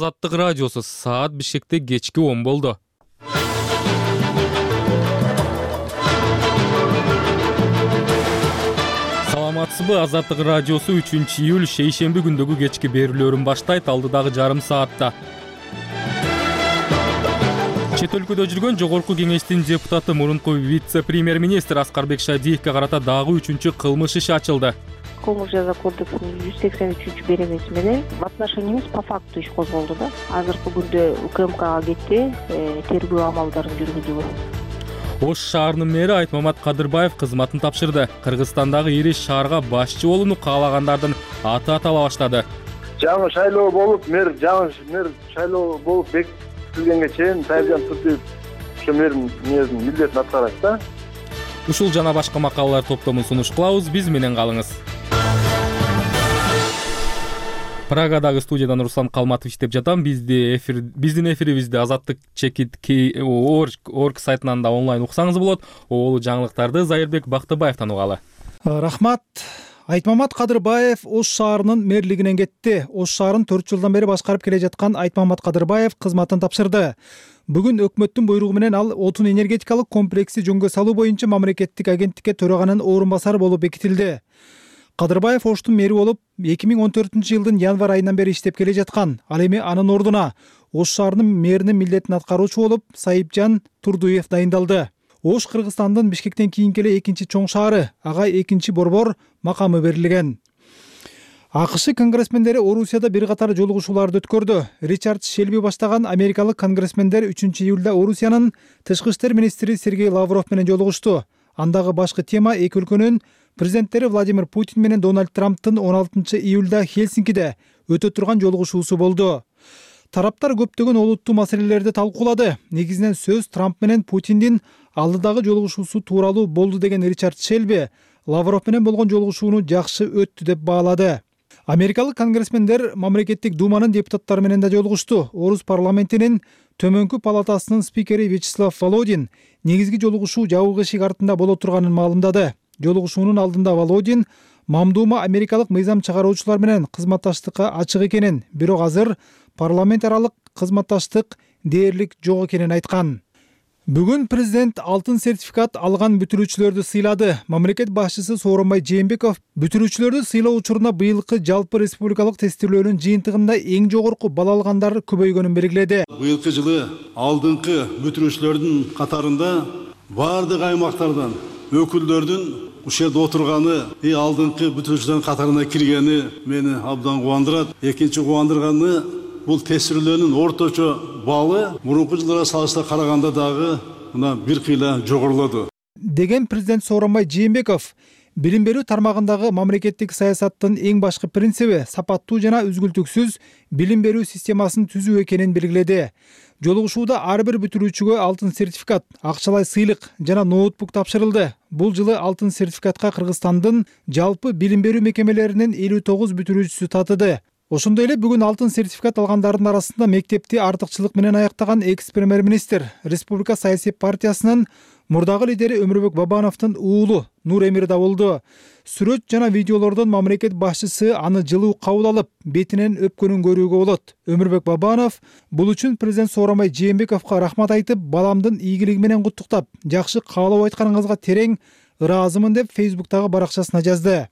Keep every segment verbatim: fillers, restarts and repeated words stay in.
Азаттык радиосу саат Бишкекте кечки он болду. Саламатсызбы? Азаттык радиосу үчүнчү июль шейшемби күндөгү кечки берүүлөрүн баштайт. Алдыдагы жарым саатта чет өлкөдө жүргөн жогорку кеңештин депутаты мурунку вице-премьер-министр Аскарбек Шадиевке карата дагы үчүнчү кылмыш иши ачылды. Кылмыш жаза кодексинин жүз сексен үчүнчү беренеси менен в отношении эмес, по факту иш козголду да. Азыркы күндө УКМКга кетти, тергөө амалдарын жүргүзүүгө. Ош шаарынын мэри Айтмамат Кадырбаев кызматын тапшырды. Кыргызстандагы ири шаарга башчы болууну каалагандардын аты атала баштады. Жаңы шайлоо болуп, мэр жаңы мэр шайлоо болуп бекитилгенге чейин Сайыржан Туртиев ошо мэрдин мүнөзүн милдетин аткарат да. Ушул жана башка макалалар топтомун сунуш кылабыз. Биз менен калыңыз. Прагадагы студиядан Руслан Калматов иштеп жатам. Бизди эфир биздин эфирибизди Азаттык чекит орг сайтынан да онлайн уксаңыз болот. Оолу жаңылыктарды Зайырбек Бактыбаевтан угалы. Рахмат. Айтмамат Кадырбаев Ош шаарынын мэрлигинен кетти. Ош шаарын төрт жылдан бери башкарып келе жаткан Айтмамат Кадырбаев кызматын тапшырды. Бүгүн өкмөттүн буйругу менен ал отун энергетикалык комплекси жөнгө салуу боюнча мамлекеттик агенттикке төраганын орун басары болуп бекитилди. Кадырбаев Оштун мэри болуп эки миң он төртүнчү жылдын январь айынан бери иштеп келе жаткан. Ал эми анын ордуна Ош шаарынын мэринин милдетин аткаруучу болуп Сайыпжан Турдуев дайындалды. Ош Кыргызстандын Бишкектен кийинки эле экинчи чоң шаары, ага экинчи борбор макамы берилген. АКШ конгрессмендери Орусияда бир катар жолугушууларды өткөрдү. Ричард Шелби баштаган америкалык конгрессмендер үчүнчү июлда Орусиянын тышкы иштер министри Сергей Лавров менен жолугушту. Андагы башкы тема эки өлкөнүн президенттери Владимир Путин менен Дональд Трамптын он алтынчы июлда Хельсинкиде өтө турган жолугушуусу болду. Тараптар көптөгөн олуттуу маселелерди талкуулады. Негизинен сөз Трамп менен Путиндин алдыдагы жолугушуусу тууралуу болду деген Ричард Шелби Лавров менен болгон жолугушууну жакшы өттү деп баалады. Америкалык конгрессмендер мамлекеттик думанын депутаттары менен да жолугушту. Орус парламентинин төмөнкү палатасынын спикери Вячеслав Володин негизги жолугушуу жабык эшик артында боло турганын маалымдады. Жолугушуунун алдында Володин мамдуума америкалык мыйзам чыгаруучулар менен кызматташтыкка ачык экенин, бирок азыр парламент аралык кызматташтык дээрлик жок экенин айткан. Бүгүн президент алтын сертификат алган бүтүрүүчүлөрдү сыйлады. Мамлекет башчысы Сооронбай Жээнбеков бүтүрүүчүлөрдү сыйлоо учурунда быйылкы жалпы республикалык тестирлөөнүн жыйынтыгында эң жогорку балл алгандар көбөйгөнүн белгиледи. Быйылкы жылы алдыңкы бүтүрүүчүлөрдүн катарында бардык аймактардан өкүлдөрдүн ушул жерде отурганы, и алдыңкы бүтүрүүчүлөрдүн катарына киргени мени абдан кубандырат. Экинчи кубандырганы бул тестирлөөнүн орточо баллы мурунку жылдарга салыштырмалуу караганда дагы мына бир кыйла жогорулоду деген президент Сооронбай Жээнбеков билим берүү тармагындагы мамлекеттик саясаттын эң башкы принциби сапаттуу жана үзгүлтүксүз билим берүү системасын түзүү экенин белгиледи. Жолугушууда ар бир бүтүрүүчүгө алтын сертификат, акчалай сыйлык жана ноутбук тапшырылды. Бул жылы алтын сертификатка Кыргызстандын жалпы билим берүү мекемелеринин элүү тогуз бүтүрүүчүсү татыды. Ошондой эле бүгүн алтын сертификат алгандардын арасында мектепти артыкчылык менен аяктаган экс-премьер-министр, Республика саясий партиясынын мурдагы лидери Өмүрбек Бабановдун уулу Нур Эмир да болду. Сүрөт жана видеолордон мамлекет башчысы аны жылуу кабыл алып, бетинен өпкөнүн көрүүгө болот. Өмүрбек Бабанов бул үчүн президент Сооронбай Жээнбековго рахмат айтып, баламдын ийгилиги менен куттуктап, жакшы каалоо айтканыңызга терең ыраазымын деп Фейсбуктагы баракчасына жазды.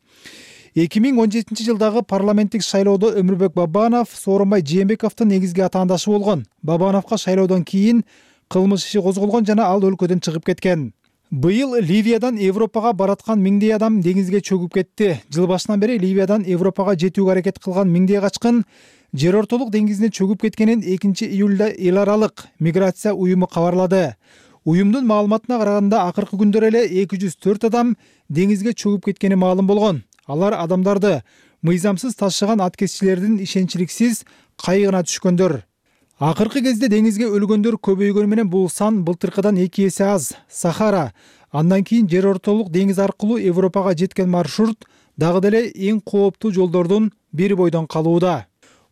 эки миң он жетинчи жылдагы парламенттик шайлоодо Өмүрбек Бабанов Сооронбай Жээнбековдун негизги атаандашы болгон. Бабановго шайлоодон кийин кылмыш иши козголгон жана ал өлкөдөн чыгып кеткен. Быйыл Ливиядан Европага бараткан миңдей адам деңизге чөгүп кетти. Жыл башынан бери Ливиядан Европага жетүүгө аракет кылган миңдей качкын жер ортолук деңизине чөгүп кеткенин экинчи июлда эл аралык миграция уюму кабарлады. Уюмдун маалыматына караганда акыркы күндөр эле эки жүз төрт адам деңизге чөгүп кеткени маалым болгон. Алар адамдарды мыйзамсыз ташыган аткезчилердин ишенчиликсиз кайыгына түшкөндөр. Акыркы кезде деңизге өлгөндөр көбөйгөнү менен бул сан былтыркыдан эки эсе аз. Сахара, андан кийин жер ортолук деңиз аркылуу Европага жеткен маршрут дагы деле эң кооптуу жолдордун бири бойдон калууда.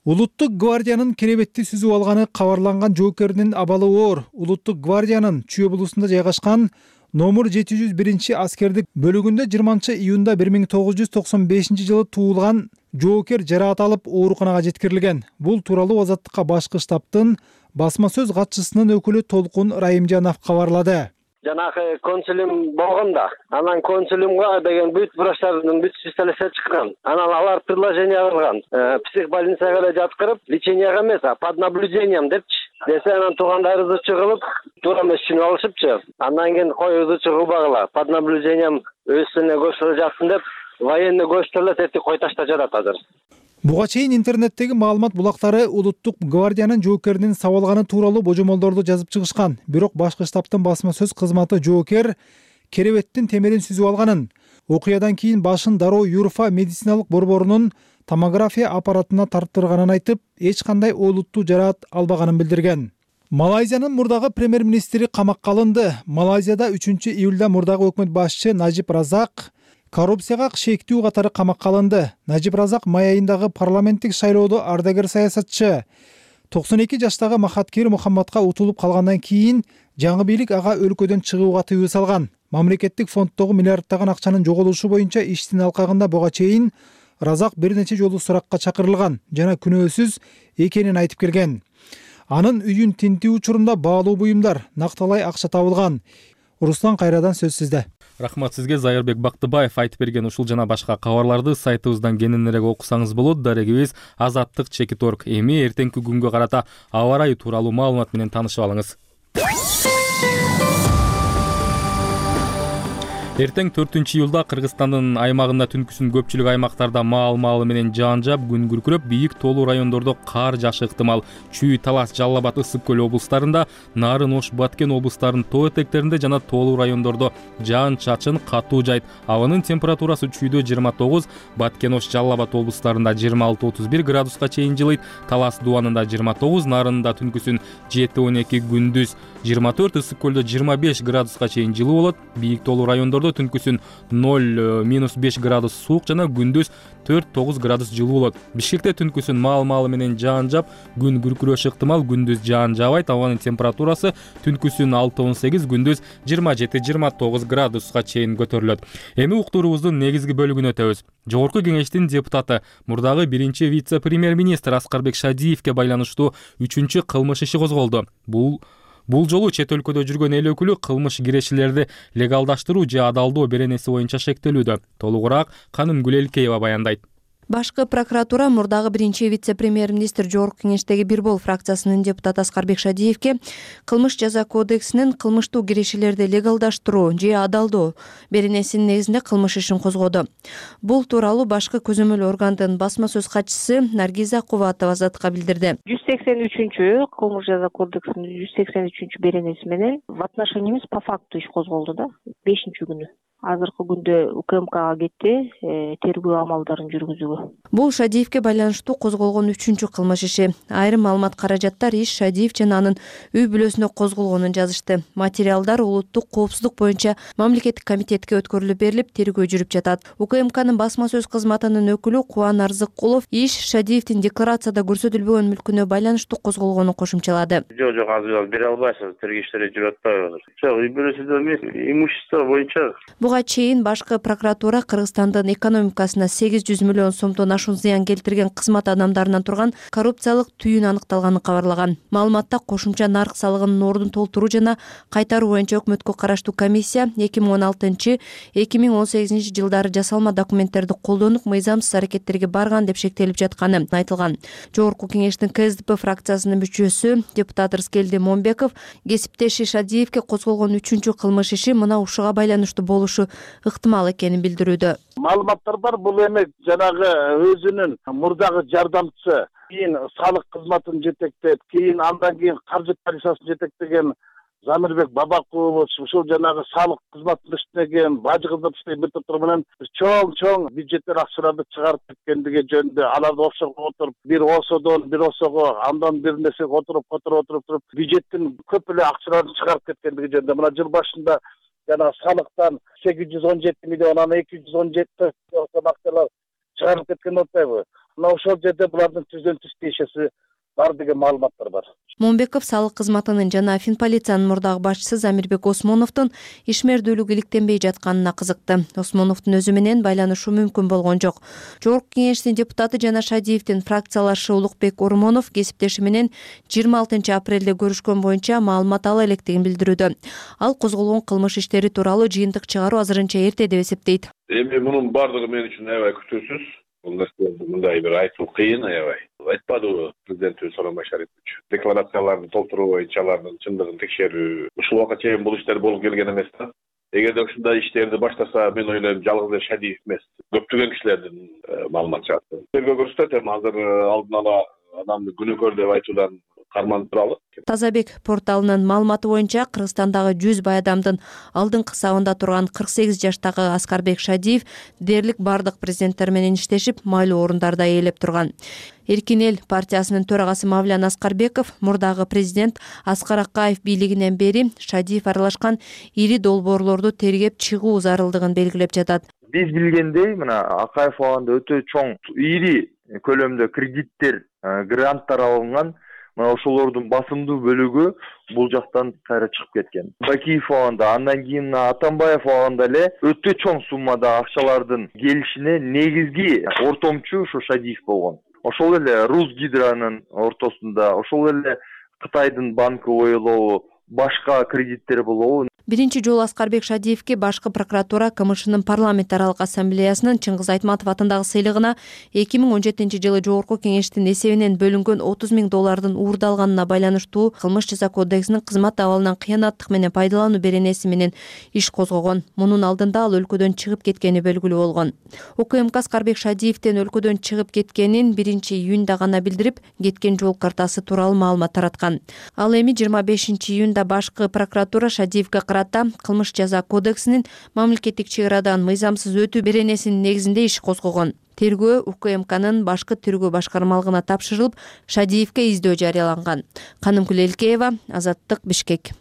Улуттук гвардиянын керебетти сүзүп алганы кабарланган жоокердин абалы оор. Улуттук гвардиянын Чүй облусунда жайгашкан номер жети жүз биринчи аскердик бөлүгүндө жыйырманчы июнда бир миң тогуз жүз токсон бешинчи жылы туулган жоокер жараат алып ооруканага жеткирилген. Бул тууралуу Азаттыкка башкы штабтын басма сөз катчысынын өкүлү Толкун Райымжанов кабарлады. Жанагы консулиум болгон да. Анан консулиумга деген бүт врачтардын бүт специалисттер чыккан. Анан алар предложение кылган. Психбольницага эле жаткырып, леченияга эмес, а под наблюдением депчи. Десе анан туугандар ызычы кылып, туура эмес түшүнүп алышыпчы. Андан кийин кой ызычы кылбагыла. Под наблюдением өзүнө госпиталга жатсын деп, военный госпиталда тети кой ташта жатат азыр. Буга чейин интернеттеги маалымат булактары улуттук гвардиянын жоокеринин сабалганы тууралуу божомолдорду жазып чыгышкан. Бирок башкы штабтын басма сөз кызматы жоокер керебеттин темирин сүзүп алганын, окуядан кийин башын дароо Юрфа медициналык борборунун томография аппаратына тарттырганын айтып, эч кандай олуттуу жараат албаганын билдирген. Малайзиянын мурдагы премьер-министри камакка алынды. Малайзияда үчүнчү июлда мурдагы өкмөт башчы Najib Razak коррупцияга шектүү катары камакка алынды. Najib Razak май айындагы парламенттик шайлоодо ардагер саясатчы токсон эки жаштагы Махаткир Мухаммадка утулуп калгандан кийин жаңы бийлик ага өлкөдөн чыгууга тыюу салган. Мамлекеттик фонддогу миллиарддаган акчанын жоголушу боюнча иштин алкагында буга чейин Разак бир нече жолу суракка чакырылган жана күнөөсүз экенин айтып келген. Анын үйүн тинтүү учурунда баалуу буюмдар, накталай акча табылган. Руслан Кайрадан сөз сизде. Рахмат сизге. Зайырбек Бактыбаев айтып берген ушул жана башка кабарларды сайтыбыздан кененирээк окусаңыз болот. Дарегибиз азаттык чекит точка орг. Эми эртеңки күнгө карата аба ырайы тууралуу маалымат менен таанышып алыңыз. Эртең төртүнчү июлда Кыргызстандын аймагында түнкүсүн көпчүлүк аймактарда маал-маалы менен жаан жаап, күн күркүрөп, бийик тоолуу райондордо кар жаашы ыктымал. Чүй, Талас, Жалал Абад, Ысык көл облустарында, Нарын, Ош, Баткен облустарынын тоо этектеринде жана тоолуу райондордо жаан-чачын катуу жайт. Абанын температурасы чүйдө жыйырма тогуз, Баткен, Ош, Жалал Абад облустарында жыйырма алты отуз бир градуска чейин жылыйт. Талас Дубанында жыйырма тогуз, Нарында түнкүсүн жети он эки, күндүз жыйырма төрт, Ысык көлдө жыйырма беш градуска чейин жылуу болот. Бийик тоолуу райондордо түнкүсүн ноль минус беш градус суук жана күндүз төрт тогуз градус жылуу болот. Бишкекте түнкүсүн маал-маалы менен жаан жаап, күн күркүрөшү ыктымал, күндүз жаан жаабайт. Абанын температурасы түнкүсүн алты он сегиз, күндүз жыйырма жети жыйырма тогуз градуска чейин көтөрүлөт. Эми уктуруубуздун негизги бөлүгүнө өтөбүз. Жогорку кеңештин депутаты, мурдагы биринчи вице-премьер-министр Аскарбек Шадиевке байланыштуу үчүнчү кылмыш иши козголду. Бул Бул жолу чет өлкөдө жүргөн эл өкүлү кылмыш кирешилерди легалдаштыруу же адалдоо беренеси боюнча шектелүүдө. Толугураак Канымгүл Элкеева баяндайт. Башкы прокуратура мурдагы биринчи вице-премьер-министр Жогорку кеңештеги Бир бол фракциясынын депутаты Аскарбек Шадиевке кылмыш жаза кодексинин кылмыштуу кирешилерди легалдаштыруу же адалдоо беренесинин негизинде кылмыш ишин козгоду. Бул тууралуу башкы көзөмөл органдын басма сөз катчысы Наргиза Кубатова Азаттыкка билдирди. жүз сексен үчүнчү кылмыш жаза кодексинин жүз сексен үчүнчү беренеси менен в отношении по факту иш козголду да бешинчи күнү. Азыркы күндө УКМКга кетти тергөө амалдарын жүргүзүүгө. Бул Шадиевке байланыштуу козголгон үчүнчү кылмыш иши. Айрым маалымат каражаттар иш Шадиев жана анын үй бүлөсүнө козголгонун жазышты. Материалдар улуттук коопсуздук боюнча мамлекеттик комитетке өткөрүлүп берилип, тергөө жүрүп жатат. УКМКнын басма сөз кызматынын өкүлү Кубан Арзыккулов иш Шадиевдин декларацияда көрсөтүлбөгөн мүлкүнө байланыштуу козголгонун кошумчалады. Жок, жок, азыр бере албайсыз, тергөө иштери жүрүп атпайбы? Жок, үй бүлөсүндө эмес, имущество боюнча. Буга чейин башкы прокуратура Кыргызстандын экономикасына сегиз жүз миллион сомдон ашуун зыян келтирген кызмат адамдарынан турган коррупциялык түйүн аныкталганын кабарлаган. Маалыматта кошумча нарк салыгынын ордун толтуруу жана кайтаруу боюнча өкмөткө караштуу комиссия эки миң он алтынчы эки миң он сегизинчи жылдары жасалма документтерди колдонуп, мыйзамсыз аракеттерге барган деп шектелип жатканы айтылган. Жогорку кеңештин КСДП фракциясынын мүчөсү депутат Рыскелди Момбеков кесиптеши Шадиевке козголгон үчүнчү кылмыш иши мына ушуга байланыштуу болушу ыктымал экенин билдирүүдө. Маалыматтар бар, бул эми жанагы өзүнүн мурдагы жардамчысы, кийин салык кызматын жетектеп, кийин андан кийин каржы полициясын жетектеген Замирбек Бабакулов ушул жанагы салык кызматында иштеген, бажы кызматында иштеген бир топтор менен чоң-чоң бюджеттер акчаларды чыгарып кеткендиги жөнүндө аларды офшорго отуруп, бир ОСОдон, бир ОСОго, андан бир нерсеге отуруп, отуруп, отуруп туруп, бюджеттин көп эле акчаларын чыгарып кеткендиги жөнүндө мына жыл башында жана салыктан сегиз жүз он жети миллион, ана эки жүз он жети акчалар чыгарылып кеткен атпайбы? Мына ошол жерде булардын түздөн түз тиешеси бар деген маалыматтар бар. Момбеков салык кызматынын жана Финполициянын мурдагы башчысы Замирбек Осмоновдун ишмердүүлүгү иликтенбей жатканына кызыкты. Осмоновдун өзү менен байланышуу мүмкүн болгон жок. Жогорку Кеңештин депутаты жана Шадиевдин фракциялашы Улукбек Ормонов кесиптеши менен жыйырма алтынчы апрелде көрүшкөн боюнча маалымат ала электигин билдирүүдө. Ал козголгон кылмыш иштери тууралуу жыйынтык чыгаруу азырынча эрте деп эсептейт. Эми мунун бардыгы мен үчүн аябай күтүүсүз. Бул нерселерди мындай бир айтуу кыйын аябай. Айтпадыбы президентибиз Сооронбай Шарипович. Декларацияларды толтуруу боюнча алардын чындыгын текшерүү. Ушул убакка чейин бул иштер болуп келген эмес да. Эгерде ушундай иштерди баштаса, мен ойлойм жалгыз эле Шадиев эмес, көптөгөн кишилердин маалымат чыгат. Тергөө көрсөтөт, эми азыр алдын ала адамды күнөөкөр деп айтуудан карманып туралы. Тазабек порталынын маалыматы боюнча Кыргызстандагы жүз бай адамдын алдыңкы сабында турган кырк сегиз жаштагы Аскарбек Шадиев дээрлик бардык президенттер менен иштешип, майлуу орундарда ээлеп турган. Эркин эл партиясынын төрагасы Мавлян Аскарбеков мурдагы президент Аскар Акаев бийлигинен бери Шадиев аралашкан ири долбоорлорду тергеп чыгуу зарылдыгын белгилеп жатат. Биз билгендей, мына Акаев абагында өтө чоң ири көлөмдө кредиттер, гранттар алынган. Мына ошолордун басымдуу бөлүгү бул жактан кайра чыгып кеткен. Бакиев абагында, андан кийин Атамбаев абагында эле өтө чоң суммада акчалардын келишине негизги ортомчу ушу Шадиев болгон. Ошол эле Русгидронун ортосунда, ошол эле Кытайдын банкы ойлобу, башка кредиттер болобу. Биринчи жолу Аскарбек Шадиевке башкы прокуратура КМШнын парламент аралык ассамблеясынын Чыңгыз Айтматов атындагы сыйлыгына эки миң он жетинчи жылы Жогорку Кеңештин эсебинен бөлүнгөн отуз миң доллардын уурдалганына байланыштуу Кылмыш жаза кодексинин кызмат абалынан кыянаттык менен пайдалануу беренеси менен иш козгогон. Мунун алдында ал өлкөдөн чыгып кеткени белгилүү болгон. УКМК Аскарбек Шадиевдин өлкөдөн чыгып кеткенин биринчи июнда гана билдирип, кеткен жол картасы тууралуу маалымат тараткан. Ал эми жыйырма бешинчи июнда башкы прокуратура Шадиевге Кылмыш жаза кодексинин мамлекеттик чек арадан мыйзамсыз өтүү беренесинин негизинде иш козгогон. Тергөө УКМКнын башкы тергөө башкармалыгына тапшырылып, Шадиевге издөө жарыяланган. Канымкүл Элкеева, Азаттык, Бишкек.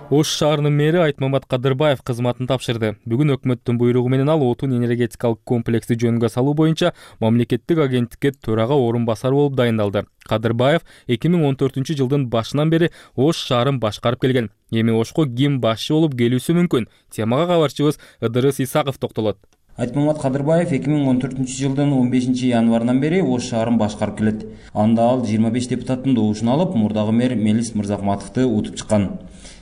Ош шаарынын мэри Айтмамат Кадырбаев кызматын тапшырды. Бүгүн өкмөттүн буйругу менен ал отун энергетикалык комплексти жөнгө салуу боюнча мамлекеттик агенттикке төрага орун басар болуп дайындалды. Кадырбаев эки миң он төртүнчү жылдын башынан бери Ош шаарын башкарып келген. Эми Ошко ким башчы болуп келүүсү мүмкүн? Темага кабарчыбыз Ыдырыс Исаков токтолот. Айтмамат Кадырбаев эки миң он төртүнчү жылдын он бешинчи январынан бери Ош шаарын башкарып келет. Анда ал жыйырма беш депутаттын добушун алып, мурдагы мэр Мелис Мырзахматовду утуп чыккан.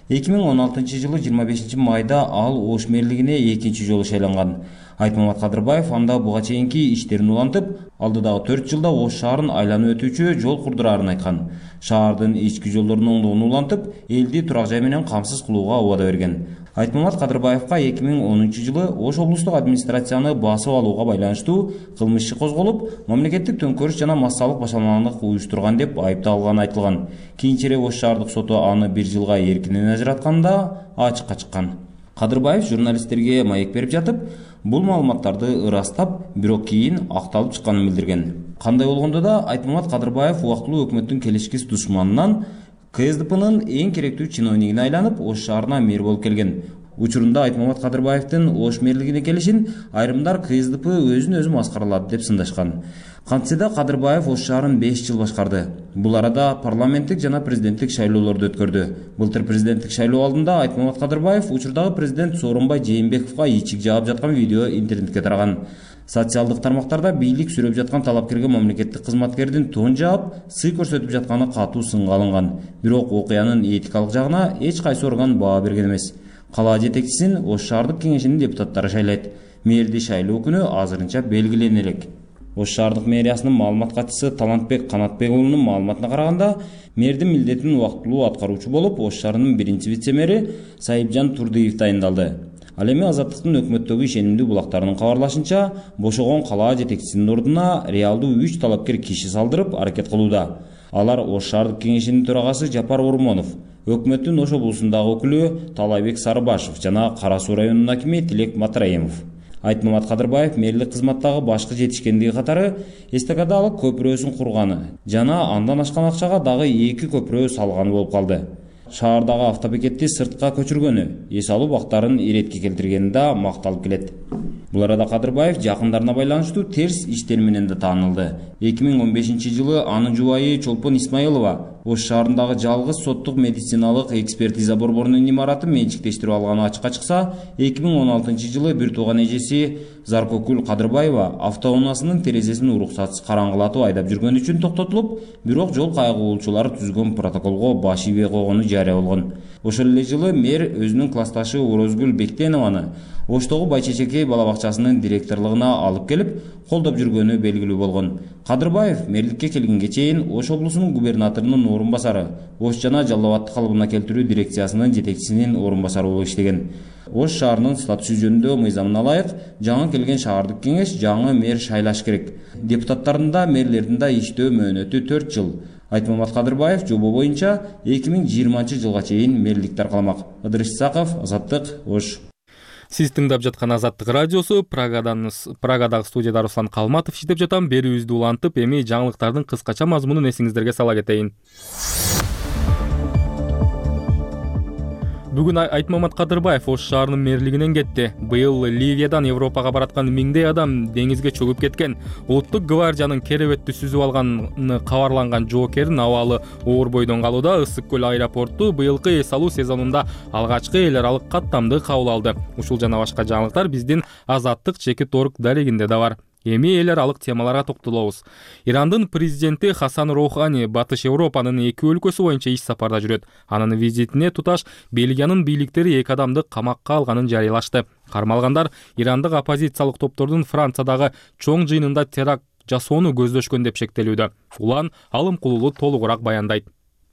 эки миң он алтынчы жылы жыйырма бешинчи майда ал Ош мэрлигине экинчи жолу шайланган. Айтмамат Кадырбаев анда буга чейинки иштерин улантып, алдыдагы төрт жылда Ош шаарын айланып өтүүчү жол курдураарын айткан. Шаардын ички жолдорунун оңдоонун улантып, элди турак жай менен камсыз кылууга убада берген. Айтмамат Кадырбаевка эки миң онунчу жылы Ош облустук администрацияны басып алууга байланыштуу кылмыш иши козголуп, мамлекеттик төңкөрүш жана массалык башаламандык уюштурган деп айыпталганы айтылган. Кийинчерээк Ош шаардык соту аны бир жылга эркинен ажыратканда ачыкка чыккан. Кадырбаев журналисттерге маек берип жатып, бул маалыматтарды ырастап, бирок кийин акталып чыкканын билдирген. Кандай болгондо да Айтмамат Кадырбаев убактылуу өкмөттүн келишкис душманынан КСДПнын эң керектүү чиновнигине айланып, Ош шаарына мэр болуп келген. Учурунда Айтмамат Кадырбаевдин Ош мэрлигине келишин айрымдар КСДП өзүн өзү маскаралады деп сындашкан. Кантсе да Кадырбаев Ош шаарын беш жыл башкарды. Бул арада парламенттик жана президенттик шайлоолорду өткөрдү. Былтыр президенттик шайлоо алдында Айтмамат Кадырбаев учурдагы президент Сооронбай Жээнбековго ичик жаап жаткан видео интернетке тараган. Социалдык тармактарда бийлик сүрөп жаткан талапкерге мамлекеттик кызматкердин тон жаап, сый көрсөтүп жатканы катуу сынга алынган. Бирок окуянын этикалык жагына эч кайсы орган баа берген эмес. Кала жетекчисин Ош шаардык кеңешинин депутаттары шайлайт. Мэрди шайлоо күнү азырынча белгилене элек. Ош шаардык мэриясынын маалымат катчысы Талантбек Канатбек уулунун маалыматына караганда, мэрдин милдетин убактылуу аткаруучу болуп Ош шаарынын биринчи вице-мэри Сайыпжан Турдыев дайындалды. Ал эми Азаттыктын өкмөттөгү ишенимдүү булактарынын кабарлашынча, бошогон кала жетекчисинин ордуна реалдуу үч талапкер киши салдырып аракет кылууда. Алар Ош шаардык кеңешинин төрагасы Жапар Ормонов, өкмөттүн Ош облусундагы өкүлү Талайбек Сарыбашев жана Кара Суу районунун акими Тилек Матраемов. Айтмамат Кадырбаев мэрлик кызматтагы башкы жетишкендиги катары эстакадалык көпүрөсүн курганы жана андан ашкан акчага дагы эки көпүрө салганы болуп калды. шаардагы автобекетти сыртка көчүргөнү, эс алуу бактарын иретке келтиргени да макталып келет. Бул арада Кадырбаев жакындарына байланыштуу терс иштер менен да таанылды. эки миң он бешинчи жылы анын жубайы Чолпон Исмаилова Ош шаарындагы жалгыз соттук медициналык экспертиза борборунун имаратын менчиктештирип алганы ачыкка чыкса, эки миң он алтынчы жылы бир тууган эжеси Заркокүл Кадырбаева автоунаасынын терезесин уруксатсыз караңгылатып айдап жүргөн үчүн токтотулуп, бирок жол кайгылуучулары түзгөн протоколго баш ийбей койгону жарыя болгон. Ошол эле жылы мэр өзүнүн классташы Орозгүл Бектенованы Оштогу Байчечекей бала бакчасынын директорлугуна алып келип, колдоп жүргөнү белгилүү болгон. Кадырбаев мэрликке келгенге чейин Ош облусунун губернаторунун орун басары, Ош жана Жалал Абадты калыбына келтирүү дирекциясынын жетекчисинин орун басары болуп иштеген. Ош шаарынын статусу жөнүндө мыйзамына ылайык жаңы келген шаардык кеңеш жаңы мэр шайлаш керек. Депутаттардын да мэрлердин да иштөө мөөнөтү төрт жыл. Айтмамат Кадырбаев жобо боюнча эки миң жыйырманчы жылга чейин мэрликти аркаламак. Ыдырыс Исаков, Азаттык, Ош. Сиз тыңдап жаткан Азаттык радиосу. Прагадан Прагадагы студияда Руслан Калматов иштеп жатам. Берүүбүздү улантып, эми жаңылыктардын кыскача мазмунун эсиңиздерге сала кетейин. Бүгүн Айтмамат Кадырбаев Ош шаарынын мэрлигинен кетти. Быйыл Ливиядан Европага бараткан миңдей адам деңизге чөгүп кеткен. Улуттук гвардиянын керебетти сүзүп алганы кабарланган жоокердин абалы оор бойдон калууда. Ысык көл аэропорту быйылкы эс алуу сезонунда алгачкы эл аралык каттамды кабыл алды. Ушул жана башка жаңылыктар биздин Азаттык чекит орг дарегинде да бар. Эми эл аралык темаларга токтолобуз. Ирандын президенти Хасан Роухани Батыш Европанын эки өлкөсү боюнча иш сапарда жүрөт. Анын визитине туташ Бельгиянын бийликтери эки адамды камакка алганын жарыялашты. Кармалгандар ирандык оппозициялык топтордун Франциядагы чоң жыйынында теракт жасоону көздөшкөн деп шектелүүдө. Улан Алымкулулу толугураак баяндайт.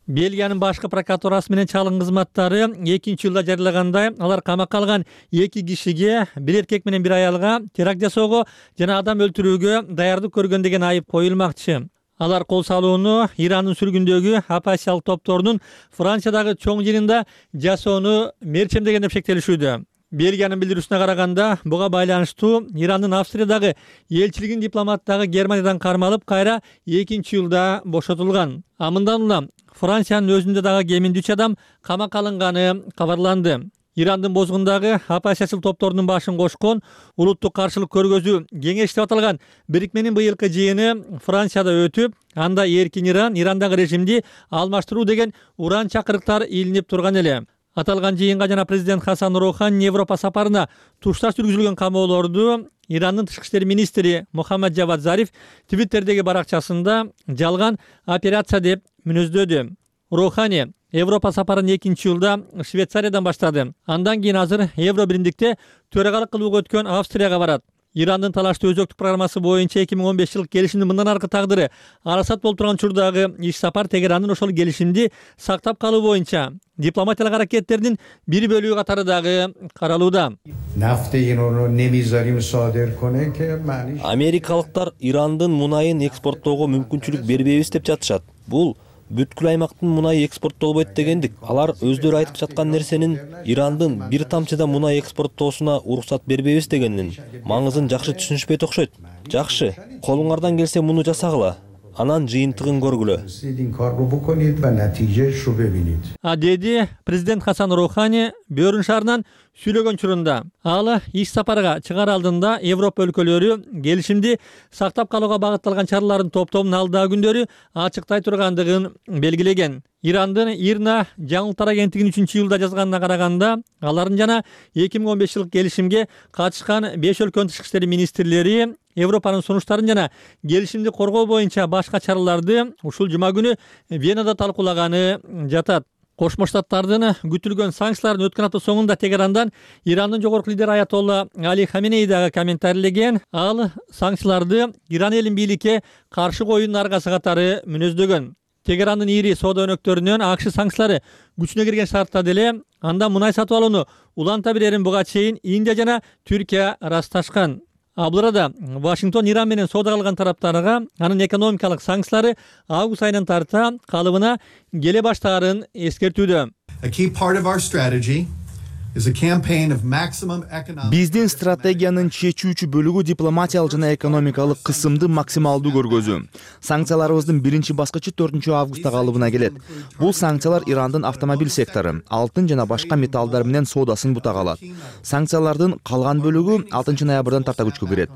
Бельгиянын башкы прокуратурасы менен чалгын кызматтары экинчи жылда жарыялагандай, алар камакка алган эки кишиге, бир эркек менен бир аялга теракт жасоого жана адам өлтүрүүгө даярдык көргөн деген айып коюлмакчы. Алар кол салууну Ирандын сүргүндөгү оппозициялык топторунун Франциядагы чоң жыйынында жасоону мерчемдеген деп шектелишүүдө. Бельгиянын билдирүүсүнө караганда, буга байланыштуу Ирандын Австриядагы элчилигинин дипломаттары Германиядан кармалып, кайра экинчи жылда бошотулган. А мындан улам Франциянын өзүндө дагы кеминде үч адам камакка алынганы кабарланды. Ирандын бозгундагы оппозициялык топторунун башын кошкон улуттук каршылык көргөзүү кеңеш деп аталган бирикменин быйылкы жыйыны Францияда өтүп, анда эркин Иран, Ирандагы режимди алмаштыруу деген уран чакырыктар илинип турган эле. Аталган жыйынга жана президент Хасан Роухани Европа сапарына тушташ жүргүзүлгөн камоолорду Ирандын тышкы иштер министри Мухаммад Джавад Зариф Твиттердеги баракчасында жалган операция деп мүнөздөдү. Роухани Европа сапарын экинчи жылда Швейцариядан баштады. Андан кийин азыр Евро биримдикте төрагалык кылууга өткөн Австрияга барат. Ирандын талаштуу өзөктүк программасы боюнча эки миң он беш жылкы келишимдин мындан аркы тагдыры арасат болуп турган учурдагы иш сапар Тегерандын ошол келишимди сактап калуу боюнча дипломатиялык аракеттердин бир бөлүгү катары дагы каралууда. Америкалыктар Ирандын мунайын экспорттоого мүмкүнчүлүк бербейбиз деп жатышат. Бул бүткүл аймактын мунай экспорттолбойт дегендик. Алар өздөрү айтып жаткан нерсенин Ирандын бир тамчы да мунай экспорттоосуна уруксат бербейбиз дегенин маңызын жакшы түшүнүшпөйт окшойт. Жакшы, колуңардан келсе муну жасагыла. Анан жыйынтыгын көргүлө. А деди президент Хасан Роухани Бөрүн шаарынан сүйлөгөн учурунда. Ал иш сапарга чыгаар алдында Европа өлкөлөрү келишимди сактап калууга багытталган чаралардын топтомун алдагы күндөрү ачыктай тургандыгын белгилеген. Ирандын Ирна жаңылыктар агенттигинин үчүнчү жылда жазганына караганда, алардын жана эки миң он беш жылкы келишимге катышкан беш өлкөнүн тышкы иштер министрлери Европанын сунуштарын жана келишимди коргоо боюнча башка чараларды ушул жума күнү Венада талкуулаганы жатат. Кошмо Штаттардын күтүлгөн санкцияларын өткөн апта соңунда Тегерандан Ирандын жогорку лидери Аятолла Али Хаменеи дагы комментарийлеген. Ал санкцияларды Иран элин бийликке каршы коюунун аргасы катары мүнөздөгөн. Тегерандын ири соода өнөктөрүнөн АКШ санкциялары күчүнө кирген шартта деле анда мунай сатып алууну уланта берерин буга чейин Индия жана Түркия ырасташкан. А бул арада Вашингтон Иран менен соода кылган тараптарга анын экономикалык санкциялары август айынан тарта калыбына келе баштаарын эскертүүдө. A key part of our strategy Биздин стратегиянын чечүүчү бөлүгү дипломатиялык жана экономикалык кысымды максималдуу көргөзүү. Санкцияларыбыздын биринчи баскычы төртүнчү августта калыбына келет. Бул санкциялар Ирандын автомобиль сектору, алтын жана башка металлдар менен соодасын бутага алат. Санкциялардын калган бөлүгү алтынчы ноябрдан тарта күчкө кирет.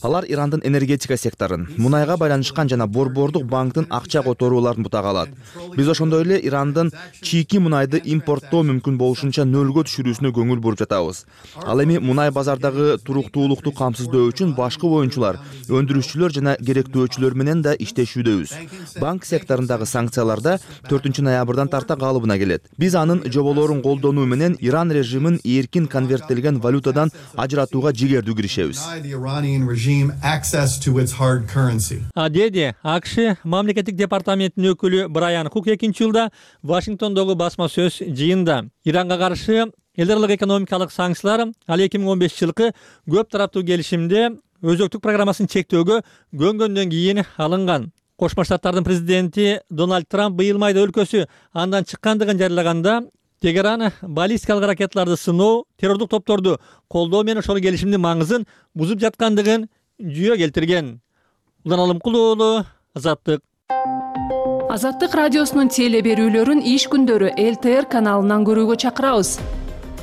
Алар Ирандын энергетика секторун, мунайга байланышкан жана Борбордук банктын акча которууларын бутага алат. Биз ошондой эле Ирандын чийки мунайды импорттоо мүмкүн болушунча нөлгө түшүрүүсүнө көңүл буруп жатабыз. Ал эми мунай базардагы туруктуулукту камсыздоо үчүн башкы оюнчулар, өндүрүшчүлөр жана керектөөчүлөр менен да иштешүүдөбүз. Банк секторундагы санкцияларда төртүнчү ноябрдан тарта калыбына келет. Биз анын жоболорун колдонуу менен Иран режимин эркин конверттелген валютадан ажыратууга жигердүү киришебиз. Деди АКШ мамлекеттик департаментинин өкүлү Брайан Хук экинчи жылда Вашингтондогу басма сөз жыйында Иранга каршы эл аралык экономикалык санкциялар ал эки миң он бешинчи жылкы көп тараптуу келишимде өзөктүк программасын чектөөгө көнгөндөн кийин алынган. Кошмо Штаттардын президенти Дональд Трамп быйыл майда өлкөсү андан чыккандыгын жарыялаганда Тегеран баллистикалык ракеталарды сыноо, террордук топторду колдоо менен ошол келишимдин маңызын бузуп жаткандыгын жүйө келтирген. Улан Алымкул уулу, Азаттык. Азаттык радиосунун теле берүүлөрүн иш күндөрү эл тэ эр каналынан көрүүгө чакырабыз.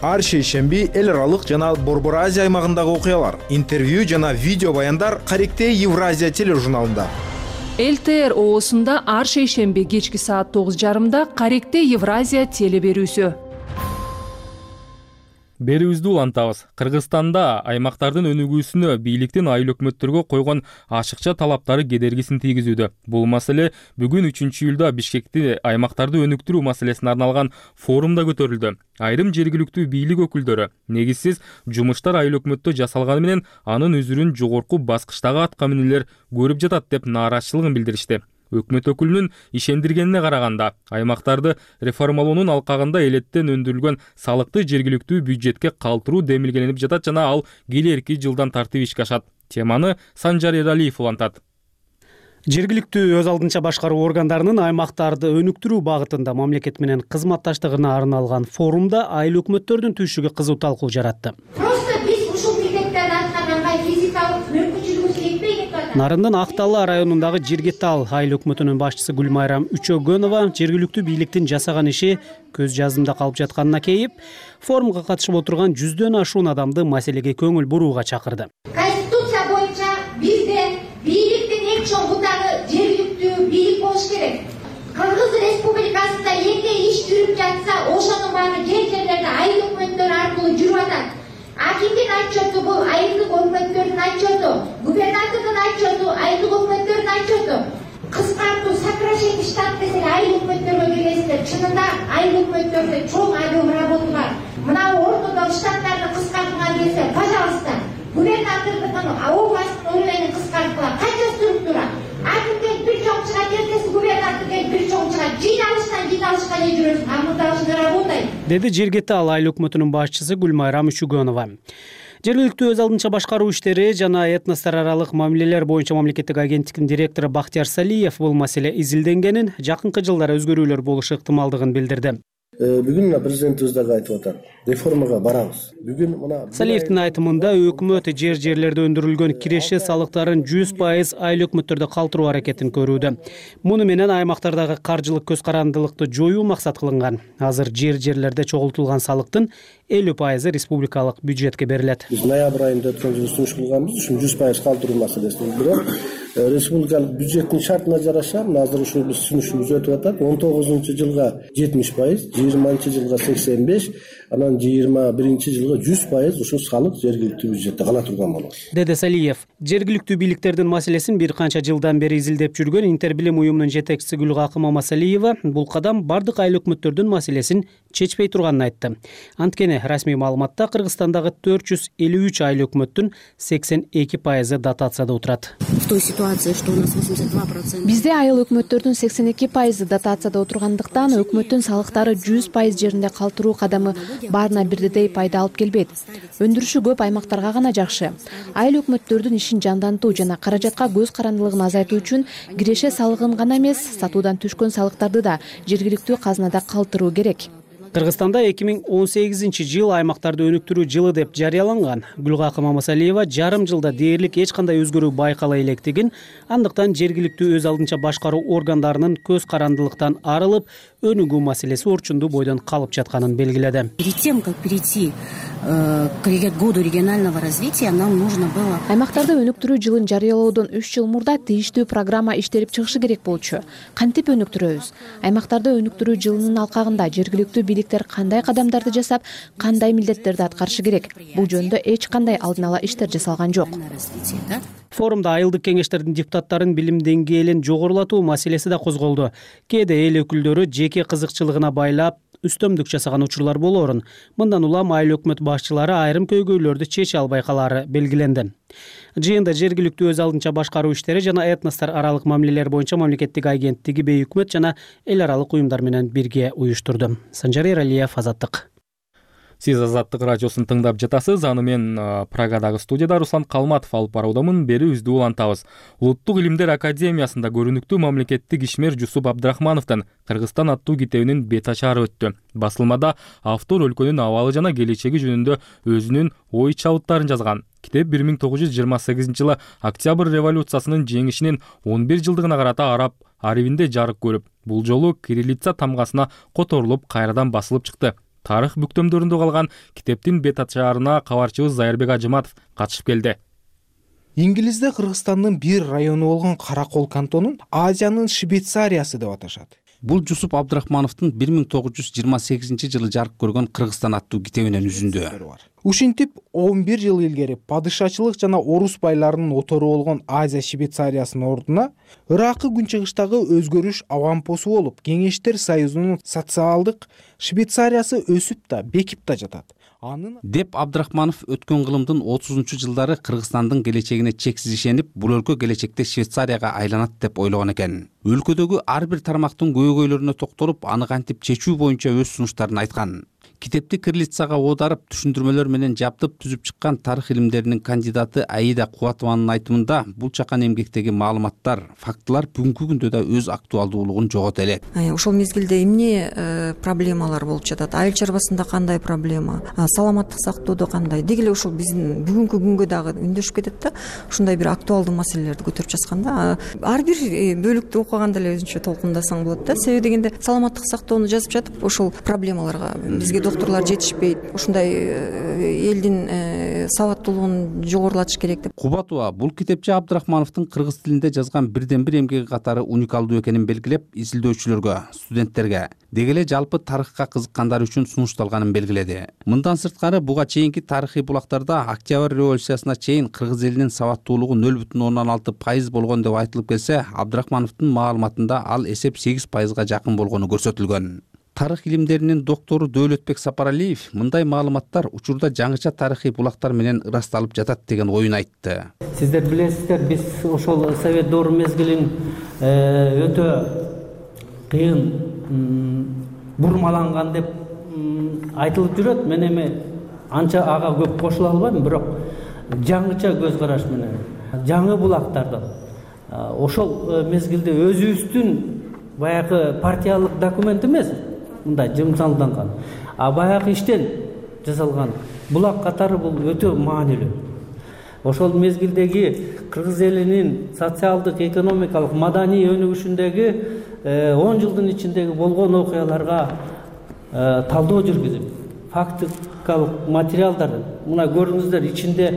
Ар шейшемби эл аралык жана Борбор Азия аймагындагы окуялар, интервью жана видео баяндар Каректе Евразия тележурналында. эл тэ эр оосунда ар шейшемби кечки саат тогуз жарымда Каректе Евразия теле берүүсү. Берүүбүздү улантабыз. Кыргызстанда аймактардын өнүгүүсүнө бийликтин айыл өкмөттөргө койгон ашыкча талаптары кедергисин тийгизүүдө. Бул маселе бүгүн үчүнчү июлда Бишкекте аймактарды өнүктүрүү маселесине арналган форумда көтөрүлдү. Айрым жергиликтүү бийлик өкүлдөрү негизсиз жумуштар айыл өкмөттө жасалганы менен анын үзүрүн жогорку баскычтагы атка минүүлөр көрүп жатат деп нааразычылыгын билдиришти. Өкмөт өкүлүнүн ишендиргенине караганда, аймактарды реформалоонун алкагында элеттен өндүрүлгөн салыкты жергиликтүү бюджетке калтыруу демилгеленип жатат жана ал келерки жылдан тартып ишке ашат. Теманы Санжар Эралиев улантат. Жергиликтүү өз алдынча башкаруу органдарынын аймактарды өнүктүрүү багытында мамлекет менен кызматташтыгына арналган форумда айыл өкмөттөрдүн түйшүгү кызуу талкуу жаратты. Просто биз ушул милдеттерди аткарганга физикалык мүмкүнчүлүгүбүз жетпей кетип атат. Нарындын Актала районундагы Жиргетал айыл өкмөтүнүн башчысы Гүлмайрам Үчөгөнова жергиликтүү бийликтин жасаган иши көз жазымда калып жатканына кейип, форумга катышып отурган жүздөн ашуун адамды маселеге көңүл бурууга чакырды. Конституция боюнча бизде бийликтин эң чоң бутагы жергиликтүү бийлик болуш керек. Кыргыз Республикасында эмне иш жүрүп жатса, ошонун баары жер жерлерде айыл өкмөттөрү аркылуу жүрүп атат. Акимдин отчету бул айылдык өкмөттөрдүн отчету, губернатордун отчету, айылдык өкмөттөрдүн отчету. Кыскартуу, сокращение штат десе айыл өкмөттөргө келесиздер. Чынында айыл өкмөттөрдө чоң объем работа бар. Мына ортодо штаттарды кыскартууга келсе, пожалуйста, губернатордун областтын уровенин кыскартууга канча структура? Акимден бир чоң чыгат, эртеси губернаторден бир чоң чыгат. Жыйналыштан жыйналышка не жүрөсүң? А мында ушундай работает. Деди Жиргетал айыл өкмөтүнүн башчысы Гүлмайрам Үчөгөнова. Жергиликтүү өз алдынча башкаруу иштери жана этностор аралык мамилелер боюнча мамлекеттик агенттиктин директору Бактияр Салиев бул маселе изилденгенин, жакынкы жылдары өзгөрүүлөр болушу ыктымалдыгын билдирди. Бүгүн мына президентибиз дагы айтып атат. Реформага барабыз. Бүгүн мына Салиевдин айтымында өкмөт жер жерлерде өндүрүлгөн киреше салыктарын жүз пайыз айыл өкмөттөрдө калтыруу аракетин көрүүдө. Муну менен аймактардагы каржылык көз карандылыкты жоюу максат кылынган. Азыр жер жерлерде чогултулган салыктын элүү пайызы республикалык бюджетке берилет. Биз ноябрь айында өткөн жылы сунуш кылганбыз, ушун жүз пайыз калтыруу маселесин. Бирок республикалык бюджеттин шартына жараша азыр ушул биз сунушубуз өтүп атат. он тогузунчу жылга жетимиш пайыз, жыйырманчы жылга сексен беш, анан жыйырма биринчи жылга жүз пайыз ушул салык жергиликтүү бюджетте кала турган болот. Деди Салиев. Жергиликтүү бийликтердин маселесин бир канча жылдан бери изилдеп жүргөн Интербилим уюмунун жетекчиси Гүлгакым Мамасалиева бул кадам бардык айыл өкмөттөрдүн маселесин чечпей турганын айтты. Анткени расмий маалыматта Кыргызстандагы төрт жүз элүү үч айыл өкмөттүн сексен эки пайызы дотацияда отурат. В той ситуации, что у нас восемьдесят два процента. Бизде айыл өкмөттөрдүн сексен эки пайызы дотацияда отургандыктан өкмөттүн салыктары жүз пайыз жеринде калтыруу кадамы баарына бирдей пайда алып келбейт. Өндүрүшү көп аймактарга гана жакшы. Айыл өкмөттөрдүн ишин жандантуу жана каражатка көз карандылыгын азайтуу үчүн киреше салыгын гана эмес, сатуудан түшкөн салыктарды да жергиликтүү казынада калтыруу керек. Кыргызстанда эки миң он сегизинчи жыл аймактарды өнүктүрүү жылы деп жарыяланган. Гүлгакы Мамасалиева жарым жылда дээрлик эч кандай өзгөрүү байкала электигин, андыктан жергиликтүү өз алдынча башкаруу органдарынын көз карандылыктан арылып, өнүгүү маселеси орчундуу бойдон калып жатканын белгиледи. Перед тем, как перейти к году регионального развития, нам нужно было... Аймактарды өнүктүрүү жылын жарыялоодон үч жыл мурда тийиштүү программа иштелип чыгышы керек болчу. Кантип өнүктүрөбүз? Аймактарды өнүктүрүү жылынын алкагында жергиликтүү бийликтер кандай кадамдарды жасап, кандай милдеттерди аткарышы керек? Бул жөнүндө эч кандай алдын ала иштер жасалган жок. Форумда айылдык кеңештердин депутаттарын билим деңгээлин жогорулатуу маселеси да козголду. Кээде эл өкүлдөрү жеке кызыкчылыгына байлап үстөмдүк жасаган учурлар болоорун. Мындан улам айыл өкмөт башчылары айрым көйгөйлөрдү чече албай калаары белгиленди. Жыйында жергиликтүү өз алдынча башкаруу иштери жана этностор аралык мамилелер боюнча мамлекеттик агенттиги бейөкмөт жана эл аралык уюмдар менен бирге уюштурду. Санжар Эралиев, Азаттык. Сиз Азаттык радиосун тыңдап жатасыз. Аны мен Прагадагы студияда Руслан Калматов алып баруудамын. Берүүбүздү улантабыз. Улуттук илимдер академиясында көрүнүктүү мамлекеттик ишмер Жусуп Абдрахмановдун Кыргызстан аттуу китебинин бет ачары өттү. Басылмада автор өлкөнүн абалы жана келечеги жөнүндө өзүнүн ой чабыттарын жазган. Китеп бир миң тогуз жүз жыйырма сегизинчи жылы Октябрь революциясынын жеңишинин он бир жылдыгына карата араб арибинде жарык көрүп, бул жолу кириллица тамгасына которулуп, кайрадан басылып чыкты. Тарых бүктөмдөрүндө калган китептин бет ачарына кабарчыбыз Зайырбек Ажыматов катышып келди. Иңгилизде Кыргызстандын бир району болгон Каракол кантонун Азиянын Швейцариясы деп аташат. Бул Жусуп Абдрахмановдун бир миң тогуз жүз жыйырма сегизинчи жылы жарык көргөн Кыргызстан аттуу китебинен үзүндү. Ушинтип он бир жыл илгери падышачылык жана орус байларынын отору болгон Азия Швейцариясынын ордуна Ыракы күнчыгыштагы өзгөрүш авампосу болуп, Кеңештер Союзунун социалдык Швейцариясы өсүп да, бекип да жатат. Анын деп Абдрахманов өткөн кылымдын отузунчу жылдары Кыргызстандын келечегине чексиз ишенип, бул өлкө келечекте Швейцарияга айланат деп ойлогон экен. Өлкөдөгү ар бир тармактын көйгөйлөрүнө токтолуп, аны кантип чечүү боюнча өз сунуштарын айткан. Китепти кириллицага оодарып, түшүндүрмөлөр менен жабдып түзүп чыккан тарых илимдеринин кандидаты Аида Кубатованын айтымында, бул чакан эмгектеги маалыматтар, фактылар бүгүнкү күндө да өз актуалдуулугун жогото элек. Ошол мезгилде эмне проблемалар болуп жатат? Айыл чарбасында кандай проблема? Саламаттык сактоодо кандай? Деги эле ошол биздин бүгүнкү күнгө дагы үндөшүп кетет да. Ушундай бир актуалдуу маселелерди көтөрүп жатканда, ар бир бөлүктү окуганда эле өзүнчө толкундасаң болот да. Себеби дегенде саламаттык сактоону жазып жатып, ошол проблемаларга бизге докторлор жетишпейт. Ушундай элдин сабаттуулугун жогорулатыш керек деп. Кубатова бул китепчи Абдрахмановдун кыргыз тилинде жазган бирден бир эмгеги катары уникалдуу экенин белгилеп, изилдөөчүлөргө, студенттерге, деги эле жалпы тарыхка кызыккандар үчүн сунушталганын белгиледи. Мындан сырткары буга чейинки тарыхый булактарда Октябрь революциясына чейин кыргыз элинин сабаттуулугу нөл бүтүн ондон алты пайыз болгон деп айтылып келсе, Абдрахмановдун маалыматында ал эсеп сегиз пайызга жакын болгону көрсөтүлгөн. Тарых илимдеринин доктору Дөөлөтбек Сапаралиев мындай маалыматтар учурда жаңыча тарыхый булактар менен ырасталып жатат деген оюн айтты. Сиздер билесиздер, биз ошол совет доору мезгилин өтө кыйын бурмаланган деп айтылып жүрөт. Мен эми анча ага көп кошула албайм, бирок жаңыча көз караш менен жаңы булактарды ошол мезгилде өзүбүздүн баягы партиялык документ эмес, мындай жымсалданган, а баягы иштен жасалган булак катары бул өтө маанилүү. Ошол мезгилдеги кыргыз элинин социалдык, экономикалык, маданий өнүгүшүндөгү он жылдын ичиндеги болгон окуяларга талдоо жүргүзүп, фактикалык материалдар, мына көрүңүздөр, ичинде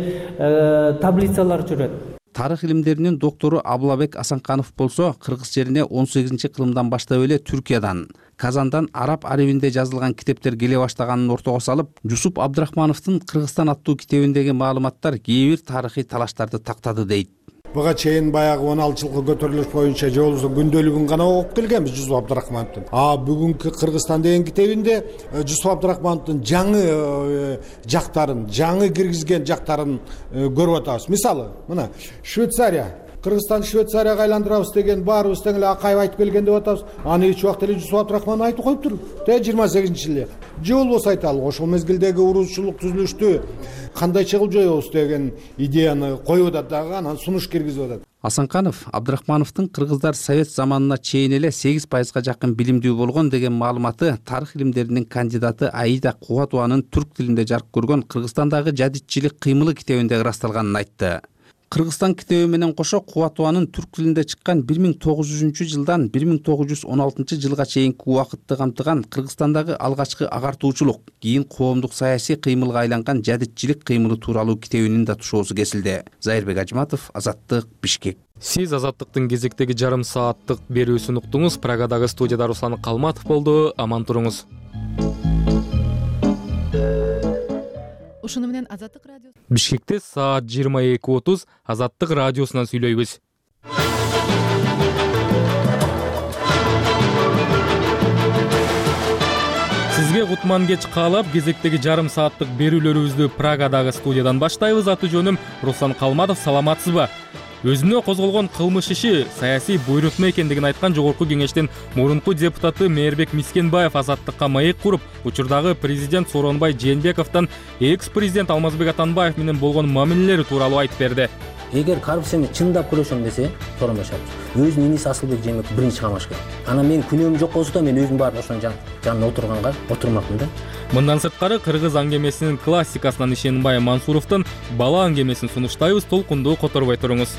таблицалар жүрөт. Тарых илимдеринин доктору Абылабек Асанканов болсо, кыргыз жерине он сегизинчи кылымдан баштап эле Түркиядан, Казандан араб арибинде жазылган китептер келе баштаганын ортого салып, Жусуп Абдрахмановдун Кыргызстан аттуу китебиндеги маалыматтар кээ бир тарыхый талаштарды тактады дейт. Буга чейин баягы он алты жылкы көтөрүлүш боюнча же болбосо күндөлүгүн гана окуп келгенбиз Жусуп Абдрахмановдун. А бүгүнкү Кыргызстан деген китебинде Жусуп Абдрахмановдун жаңы жактарын, жаңы киргизген жактарын көрүп атабыз. Мисалы, мына Швейцария, Кыргызстанды Швейцарияга айландырабыз деген баарыбыз тең эле Акаев айтып келген деп атабыз. Аны эч убакта эле Жусуп Абдрахманов айтып коюптур. Тэ жыйырма сегизинчи жылы. Же болбосо айталы, ошол мезгилдеги урушчулук түзүлүштү кандайча кылып жоебуз деген идеяны коюп атат дагы, анан сунуш киргизип атат. Асанканов Абдрахмановдун кыргыздар совет заманына чейин эле сегиз пайызга жакын билимдүү болгон деген маалыматы тарых илимдеринин кандидаты Аида Кубатованын түрк тилинде жарык көргөн Кыргызстандагы жадитчилик кыймылы китебинде ырасталганын айтты. Кыргызстан китеби менен кошо Кубатованын түрк тилинде чыккан бир миң тогуз жүзүнчү жылдан бир миң тогуз жүз он алтынчы жылга чейинки убакытты камтыган Кыргызстандагы алгачкы агартуучулук, кийин коомдук саясий кыймылга айланган жадитчилик кыймылы тууралуу китебинин да тушоосу кесилди. Зайырбек Ажматов, Азаттык, Бишкек. Сиз Азаттыктын кезектеги жарым сааттык берүүсүн уктуңуз. Прагадагы студияда Руслан Калматов болду. Аман туруңуз. Ушуну менен Азаттык радиосу Бишкекте саат жыйырма эки отуз Азаттык радиосунан сүйлөйбүз. Сизге кутман кеч каалап, кезектеги жарым сааттык берүүлөрүбүздү Прагадагы студиядан баштайбыз. Аты жөнүм Руслан Калматов. Саламатсызбы? Өзүнө козголгон кылмыш иши саясий буйрутма экендигин айткан Жогорку Кеңештин мурунку депутаты Мээрбек Мискенбаев Азаттыкка маек куруп, учурдагы президент Сооронбай Жээнбековдон экс-президент Алмазбек Атамбаев менен болгон мамилелери тууралуу айтып берди. Эгер коррупцияны чындап күрөшөм десе, Сооронбай Шарипович өзүнүн иниси Асылбек Жээнбеков биринчи камаш керек. Анан менин күнөөм жок болсо да мен өзүм барып ошонун жанына отурганга отурмакмын да. Мындан сырткары кыргыз аңгемесинин классикасынан Ишенбай Мансуровдун бала аңгемесин сунуштайбыз. Толкунду которбой туруңуз.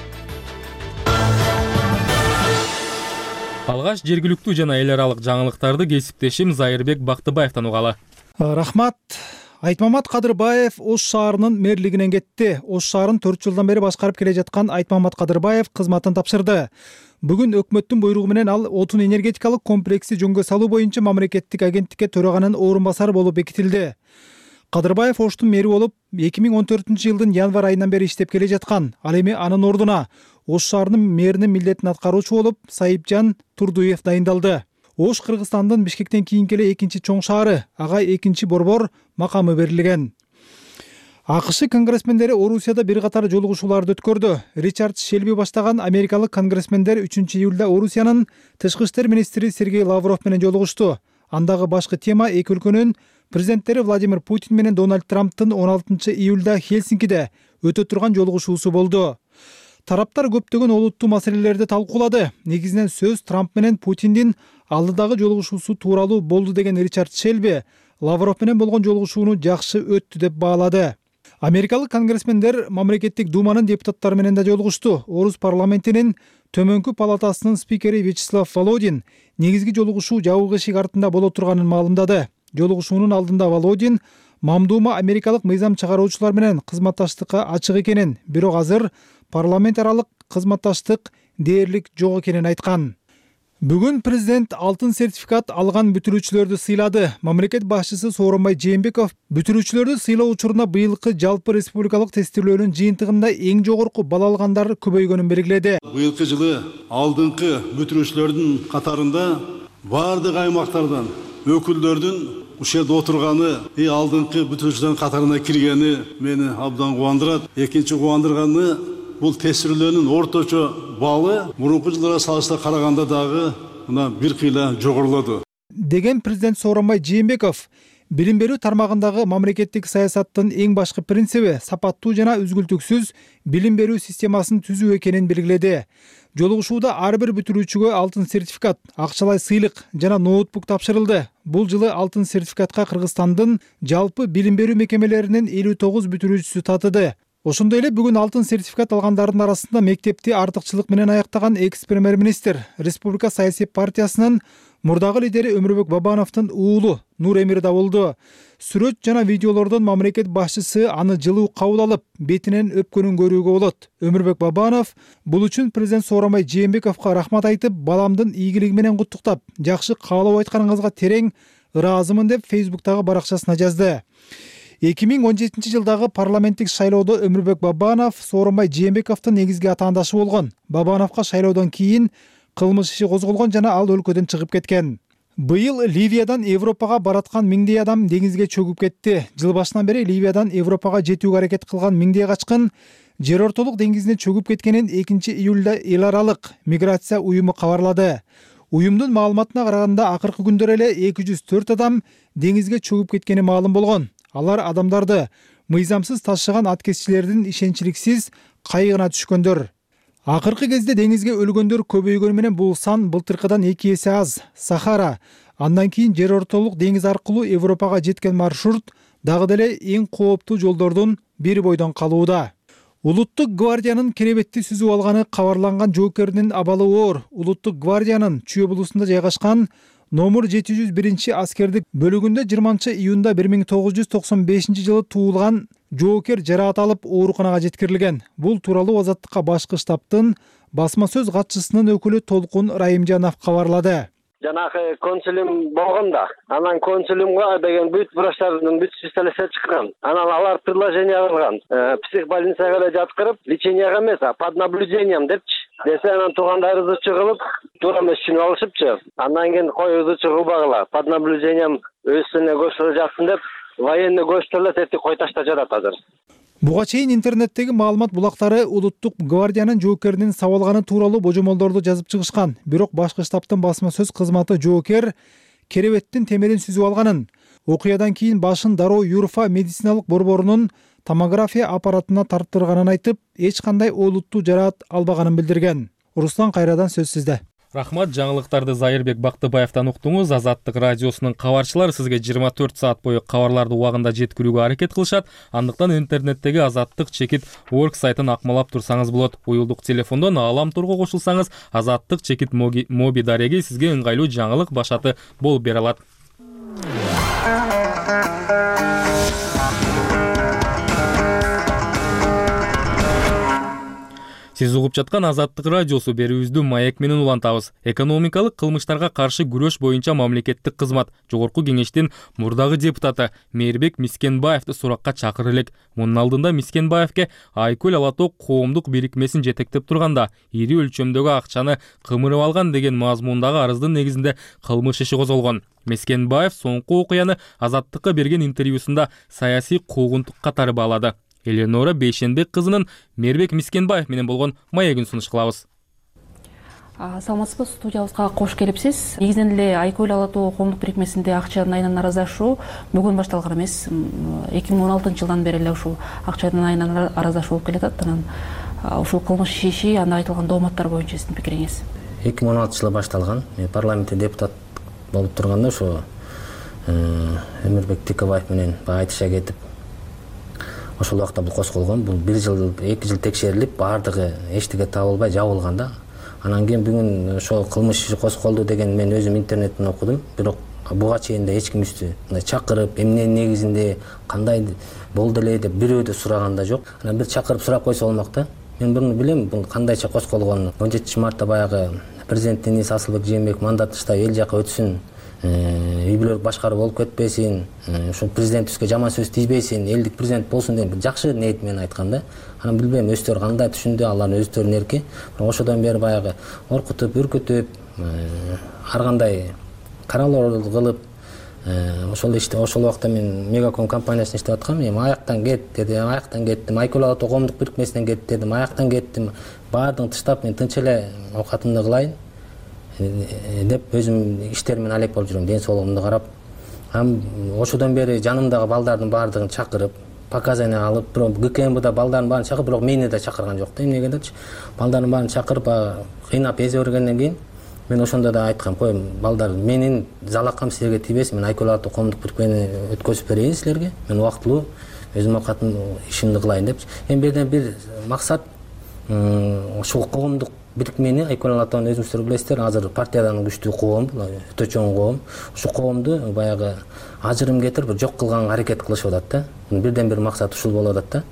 Алгаш жергиликтүү жана эл аралык жаңылыктарды кесиптешим Зайырбек Бактыбаевден угалы. Рахмат. Айтмамат Кадырбаев Ош шаарынын мэрлигинен кетти. Ош шаарын төрт жылдан бери башкарып келе жаткан Айтмамат Кадырбаев кызматын тапшырды. Бүгүн өкмөттүн буйругу менен ал отун энергетикалык комплекси жөнгө салуу боюнча мамлекеттик агенттикке төраганын орун басары болуп бекитилди. Кадырбаев Оштун мэри болуп эки миң он төртүнчү жылдын январь айынан бери иштеп келе жаткан. Ал эми анын ордуна Ош шаарынын мэринин милдетин аткаруучу болуп Сайыпжан Турдуев дайындалды. Ош Кыргызстандын Бишкектен кийинки эле экинчи чоң шаары, ага экинчи борбор макамы берилген. АКШ конгрессмендери Орусияда бир катар жолугушууларды өткөрдү. Ричард Шелби баштаган америкалык конгрессмендер үчүнчү июлда Орусиянын тышкы иштер министри Сергей Лавров менен жолугушту. Андагы башкы тема эки өлкөнүн президенттери Владимир Путин менен Дональд Трамптын он алтынчы июлда Хельсинкиде өтө турган жолугушуусу болду. Тараптар көптөгөн олуттуу маселелерди талкуулады. Негизинен сөз Трамп менен Путиндин алдыдагы жолугушуусу тууралуу болду деген Ричард Шелби Лавров менен болгон жолугушууну жакшы өттү деп баалады. Америкалык конгрессмендер мамлекеттик думанын депутаттары менен да жолугушту. Орус парламентинин төмөнкү палатасынын спикери Вячеслав Володин негизги жолугушуу жабык эшик артында боло турганын маалымдады. Жолугушуунун алдында Володин мамдуума америкалык мыйзам чыгаруучулар менен кызматташтыкка ачык экенин, бирок азыр парламент аралык кызматташтык дээрлик жок экенин айткан. Бүгүн президент алтын сертификат алган бүтүрүүчүлөрдү сыйлады. Мамлекет башчысы Сооронбай Жээнбеков бүтүрүүчүлөрдү сыйлоо учуруна быйылкы жалпы республикалык тестирлөөнүн жыйынтыгында эң жогорку балл алгандар көбөйгөнүн белгиледи. Быйылкы жылы алдыңкы бүтүрүүчүлөрдүн катарында бардык аймактардан өкүлдөрдүн ушул жерде отурганы, и алдыңкы бүтүрүүчүлөрдүн катарына киргени мени абдан кубандырат. Экинчи кубандырганы бул тестирлөөнүн орточо баллы мурунку жылдарга салыштырмалуу караганда дагы мына бир кыйла жогорулоду деген президент Сооронбай Жээнбеков билим берүү тармагындагы мамлекеттик саясаттын эң башкы принциби сапаттуу жана үзгүлтүксүз билим берүү системасын түзүү экенин белгиледи. Жолугушууда ар бир бүтүрүүчүгө алтын сертификат, акчалай сыйлык жана ноутбук тапшырылды. Бул жылы алтын сертификатка Кыргызстандын жалпы билим берүү мекемелеринин элүү тогуз бүтүрүүчүсү татыды. Ошондой эле бүгүн алтын сертификат алгандардын арасында мектепти артыкчылык менен аяктаган экс-премьер-министр, Республика саясий партиясынын мурдагы лидери Өмүрбек Бабановдун уулу Нур Эмир да болду. Сүрөт жана видеолордон мамлекет башчысы аны жылуу кабыл алып, бетинен өпкөнүн көрүүгө болот. Өмүрбек Бабанов бул үчүн президент Сооронбай Жээнбековго рахмат айтып, баламдын ийгилиги менен куттуктап, жакшы каалоо айтканыңызга терең ыраазымын деп Фейсбуктагы баракчасына жазды. эки миң он жетинчи жылдагы парламенттик шайлоодо Өмүрбек Бабанов Сооронбай Жээнбековдун негизги атаандашы болгон. Бабановго шайлоодон кийин кылмыш иши козголгон жана ал өлкөдөн чыгып кеткен. Быйыл Ливиядан Европага бараткан миңдей адам деңизге чөгүп кетти. Жыл башынан бери Ливиядан Европага жетүүгө аракет кылган миңдей качкын жер ортолук деңизине чөгүп кеткенин экинчи июлда эл аралык миграция уюму кабарлады. Уюмдун маалыматына караганда акыркы күндөр эле эки жүз төрт адам деңизге чөгүп кеткени маалым болгон. Алар адамдарды мыйзамсыз ташыган аткезчилердин ишенчиликсиз кайыгына түшкөндөр. Акыркы кезде деңизге өлгөндөр көбөйгөнү менен бул сан былтыркыдан эки эсе аз. Сахара, андан кийин жер ортолук деңиз аркылуу Европага жеткен маршрут дагы деле эң кооптуу жолдордун бири бойдон калууда. Улуттук гвардиянын керебетти сүзүп алганы кабарланган жоокердин абалы оор. Улуттук гвардиянын Чүй облусунда жайгашкан номер жети жүз биринчи аскердик бөлүгүндө жыйырманчы июнда бир миң тогуз жүз токсон бешинчи жылы туулган жоокер жараат алып ооруканага жеткирилген. Бул тууралуу Азаттыкка башкы штабтын басма сөз катчысынын өкүлү Толкун Райымжанов кабарлады. Жанагы консулум болгон да, анан консулумга деген бүт врачтардын бүт специалисттер чыккан. Анан алар предложение кылган. Психбольницага эле жаткырып, леченияга эмес, а под наблюдением депчи. Десе анан туугандар ызычы кылып, туура эмес түшүнүп алышыпчы. Андан кийин кой ызычы кылбагыла, под наблюдением өзүнө көчтөрүп жатсын деп, военный көчтөрүлөт, эти кой таштап жатат азыр. Буга чейин интернеттеги маалымат булактары улуттук гвардиянын жоокеринин сабалганы тууралуу божомолдорду жазып чыгышкан. Бирок башкы штабтын басма сөз кызматы жоокер керебеттин темирин сүзүп алганын, окуядан кийин башын дароо Юрфа медициналык борборунун томография аппаратына тарттырганын айтып, эч кандай олуттуу жараат албаганын билдирген. Руслан Кайрадан сөз сизде. Рахмат, жаңылыктарды Зайырбек Бактыбаевтан уктуңуз. Азаттык радиосунун кабарчылары сизге жыйырма төрт саат бою кабарларды убагында жеткирүүгө аракет кылышат. Андыктан интернеттеги азаттык чекит орг сайтын акмалап турсаңыз болот. Уюлдук телефондон Аалам турго кошулсаңыз, азаттык чекит моби дареги сизге ыңгайлуу жаңылык башаты болуп бере алат. Сиз угуп жаткан Азаттык радиосу берүүбүздү маек менен улантабыз. Экономикалык кылмыштарга каршы күрөш боюнча мамлекеттик кызмат Жогорку кеңештин мурдагы депутаты Мээрбек Мискенбаевди суракка чакырып элек. Мунун алдында Мискенбаевке Айкөл Ала Тоо коомдук бирикмесин жетектеп турганда ири өлчөмдөгү акчаны кымырып алган деген мазмундагы арыздын негизинде кылмыш иши козголгон. Мискенбаев соңку окуяны Азаттыкка берген интервьюсунда саясий куугунтук катары баалады. Эленора Бейшенбек кызынын Мээрбек Мискенбаев менен болгон маегин сунуш кылабыз. Саламатсызбы, студиябызга кош келипсиз. Негизинен эле Айкөл Ала Тоо коомдук бирикмесинде акча айынан аразашуу бүгүн башталган эмес. эки миң он алтынчы жылдан бери эле ушул акча айынан аразашуу болуп келатат. Анан ушул кылмыш иши, анда айтылган дооматтар боюнча сиздин пикириңиз? эки миң он алтынчы жылы башталган. Мен парламентте депутат болуп турганда ошо Өмүрбек Тикебаев менен айтыша кетип, ошол убакта бул козголгон. Бул бир жыл, эки жыл текшерилип, баардыгы эчтеке табылбай жабылган да. Анан кийин бүгүн ошол кылмыш иши козголду деген мен өзүм интернеттен окудум. Бирок буга чейин да эч ким үстү мындай чакырып, эмненин негизинде, кандай болду эле деп бирөө да сураган да жок. Анан бир чакырып сурап койсо болмок да. Мен буну билем, бул кандайча козголгонун. он жетинчи мартта баягы президент Денис Асылбек Жээнбеков мандат таштап эл жака өтсүн, үй бүлөлүк башкаруу болуп кетпесин, ушул президентибизге жаман сөз тийбесин, элдик президент болсун деп жакшы ниет менен айткан да. Анан билбейм өздөрү кандай түшүндү, алардын өздөрүнүн эрки. Бирок ошодон бери баягы коркутуп, үркүтүп, ар кандай каралоо кылып, ошол иште ошол убакта мен Мегаком компаниясында иштеп аткам. Эми аяктан кет деди, аяктан кеттим. Айкөл Ала Тоо коомдук бирикмесинен кет дедим, аяктан кеттим. Баардыгын таштап мен тынч эле оокатымды кылайын деп өзүм иштеримен алек болуп жүрөм, ден соолугумду карап. Ам ошодон бери жанымдагы балдардын баардыгын чакырып, показания алып, бирок ГКМБда балдардын баарын чакырып, бирок мени да чакырган жок да. Эмнеге дечи? Балдардын баарын чакырып, кыйнап эзе бергенден кийин мен ошондо да айткам, кой балдар, менин залакам силерге тийбесин, мен Айкөл Ала Тоо коомдук бирикмени өткөзүп берейин силерге. Мен убактылуу өзүм оокатым ишимди кылайын депчи. Эми бирден бир максат ошол коомдук бирикмени, Айкөл Ала Тоонун өзүңүздөр билесиздер, азыр партиядан күчтүү коом, өтө чоң коом. Ушул коомду баягы ажырым кетирип, жок кылганга аракет кылышып атат да. Бирден бир максат ушул болуп атат да.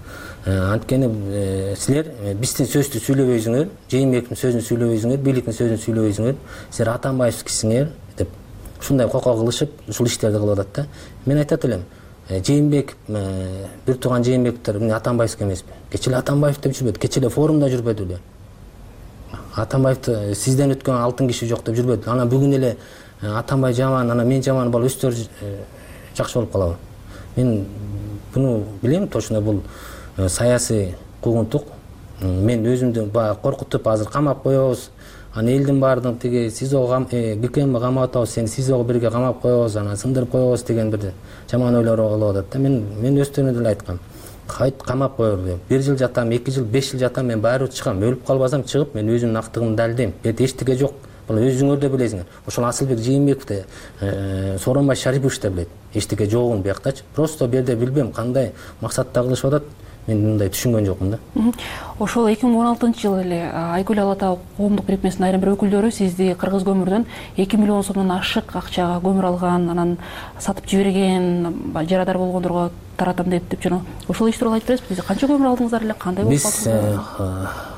Анткени силер биздин сөздү сүйлөбөйсүңөр, Жээнбековдун сөзүн сүйлөбөйсүңөр, бийликтин сөзүн сүйлөбөйсүңөр, силер Атамбаевскисиңер деп ушундай коко кылышып, ушул иштерди кылып атат да. Мен айтат элем, Жээнбеков, бир тууган Жээнбековдор эмне Атамбаевский эмеспи? Кечээ эле Атамбаев деп жүрбөдү, кечээ эле форумда жүрбөдү беле? Атамбаевди сизден өткөн алтын киши жок деп жүрбөдү. Анан бүгүн эле Атамбай жаман, анан мен жаман болуп өстөр жакшы болуп калабы? Мен буну билем, точно бул саясий куугунтук. Мен өзүмдү баягы коркутуп, азыр камап коебуз. Анан элдин баардыгын тиги СИЗОго, ГКМ камап атабыз, сени СИЗОго бирге камап коебуз, анан сындырып коебуз деген бир жаман ойлор болуп атат да. Мен мен өздөрүнө деле айткам. кайт камап коерду. Бир жыл жатам, эки жыл, беш жыл жатам, мен баары чыгам. Өлүп калбасам чыгып, мен өзүмдүн актыгымды далилдейм. Бет эчтеке жок. Бул өзүңөр да билесиңер. Ошол Асылбек Жээнбеков да, Сооронбай Шарипович да билет. Эчтеке жогун бияктачы. Просто бул жерде билбем кандай максатта кылышып атат. Мен мындай түшүнгөн жокмун да. Ошол эки миң он алтынчы жылы эле Айкөл Ала Таа коомдук бирикмесинин айрым бир өкүлдөрү сизди Кыргыз көмүрдөн эки миллион сомдон ашык акчага көмүр алган, анан сатып жиберген, жарадар болгондорго таратам деп деп жүрөм. Ошол иш тууралуу айтып бересизби? Канча көмүр алдыңыздар эле? Кандай болуп калдыңыздар? Биз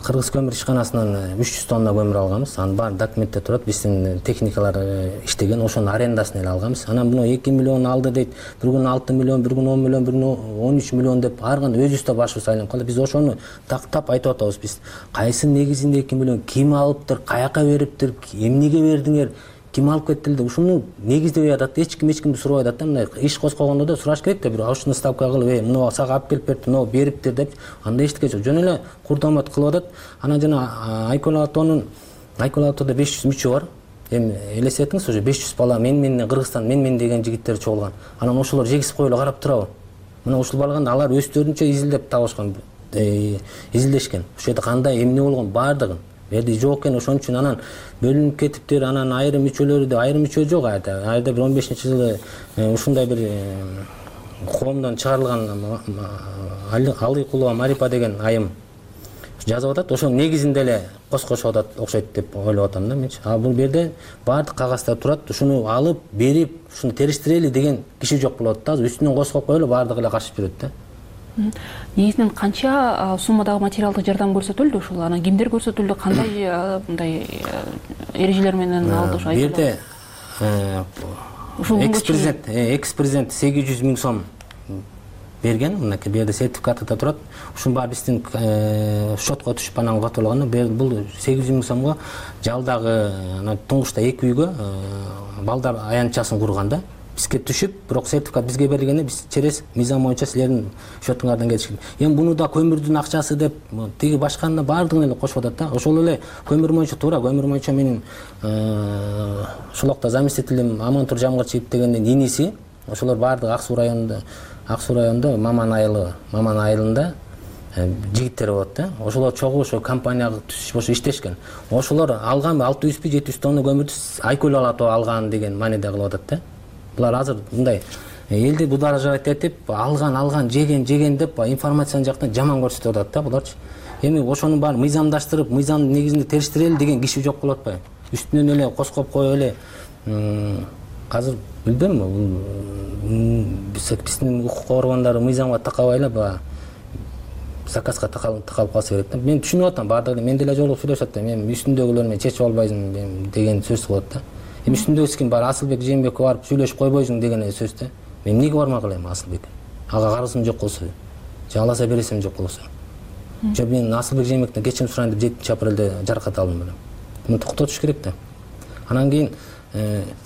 Кыргыз көмүр ишканасынан үч жүз тонна көмүр алганбыз. Анын баары документте турат. Биздин техникалар иштеген, ошонун арендасын эле алганбыз. Анан буну эки миллион алды дейт. Бир күн алты миллион, бир күн он миллион, бир күн он үч миллион деп ар кандай өзүбүз да башыбыз айланып калды. Биз ошону тактап айтып атабыз. Биз кайсы негизинде эки миллион ким алыптыр, каяка бериптир, эмнеге бердиңер, ким алып кетти деп ушуну негиздебей атат. Эч ким эч кимди сурабай атат да. Мындай иш козгогондо да сураш керек да, бир ушуну ставка кылып, эй, муну сага алып келип берди, муну бериптир деп. Андай эчтеке жок. Жөн эле курдамат кылып атат. Анан жана Айкөл Ала Таанын Айкөл Ала Таада беш жүз мүчө бар. Эми элестетиңиз, ошо беш жүз бала мен менен Кыргызстан, мен мен деген жигиттер чогулган. Анан ошолор жегиз коюлуп карап турабы? Мына ушул барганда алар өздөрүнчө изилдеп табышкан, изилдешкен. Ошол жерде кандай эмне болгон баардыгын берди жок экен. Ошон үчүн анан бөлүнүп кетиптир. Анан айрым мүчөлөрү да айрым мүчө жок айда. Айда бир он бешинчи жылы ушундай бир коомдон чыгарылган Алыкулова Марипа деген айым жазып атат. Ошонун негизинде эле коскошуп атат окшойт деп ойлоп атам да менчи. А бул жерде баардык кагаздар турат. Ушуну алып, берип, ушуну териштирели деген киши жок болот да. Үстүнөн коскоп коелу баардыгы эле качып жүрөт да. Негизинен канча суммадагы материалдык жардам көрсөтүлдү ушул? Анан кимдер көрсөтүлдү? Кандай мындай эрежелер менен алды ошо? Бу жерде экс-президент, экс-президент сегиз жүз миң сом берген. Мынакей бу жерде сертификаты да турат. Ушунун баары биздин счетко түшүп анан катылган. Бул сегиз жүз миң сомго жалдагы туңгучта эки үйгө балдар аянтчасын курган да. Бизге түшүп, бирок сертификат бизге берилгенде биз через мыйзам боюнча силердин счетуңардан кетишкен. Эми буну да көмүрдүн акчасы деп тиги башканы баардыгын эле кошуп атат да. Ошол эле көмүр боюнча туура, көмүр боюнча менин ошолокто заместителим Амантур Жамгырчиев дегендин иниси, ошолор баардыгы Ак Суу районунда, Ак Суу районунда Маман айылы, Маман айылында жигиттер болот да. Ошолор чогуу ошо компанияга түшүп ошо иштешкен. Ошолор алган алты жүзбү жети жүз тонна көмүрдү Айкөл Ала Таа алган деген мааниде кылып атат да. Булар азыр мындай элди будажат этип алган алган жеген жеген деп информациянын жактан жаман көрсөтүп атат да буларчы. Эми ошонун баарын мыйзамдаштырып, мыйзамдын негизинде териштирели деген киши жок болуп атпайбы? Үстүнөн эле коскоп коюп эле азыр билбейм, бул биздин укук коргондору мыйзамга такабай эле баягы заказга такалып калса керек да. Мен түшүнүп атам, баардыгы мен деле жолугуп сүйлөшүп атам. Мен үстүндөгүлөр менен чечип албайсың деген сөз болот да. Эми үстүндөгү ким бар, Асылбек Жээнбекке барып сүйлөшүп койбойсуң деген сөз да. Мен эмнеге бармак элем Асылбек? Ага карызым жок болсо, же аласа бересим жок болсо. Же мен Асылбек Жээнбектен кечирим сурайын деп жетинчи апрелде жаракат алдым белем. Муну токтотуш керек да. Анан кийин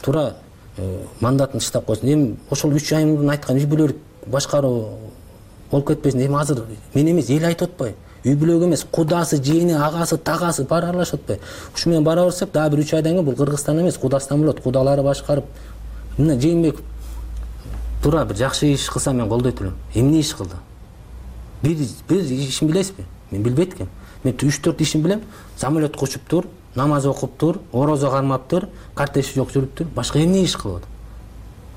туура мандатын тыштап койсун. Эми ошол үч ай мурун айткан үй бүлөлүк башкаруу болуп кетпесин. Эми азыр мен эмес, эл айтып атпайбы? Үй бүлөк эмес, кудасы, жээни, агасы, тагасы баары аралашып атпайбы? Ушу менен бара берсек, дагы бир үч айдан кийин бул Кыргызстан эмес, Кудастан болот. Кудалары башкарып. Мына Жээнбеков туура бир жакшы иш кылса мен колдойт элем. Эмне иш кылды? Бир бир ишин билесизби? Мен билбейт экенмин. Мен үч төрт ишин билем. Самолетко учуптур, намаз окуптур, орозо кармаптыр, картеши жок жүрүптүр. Башка эмне иш кылып атат?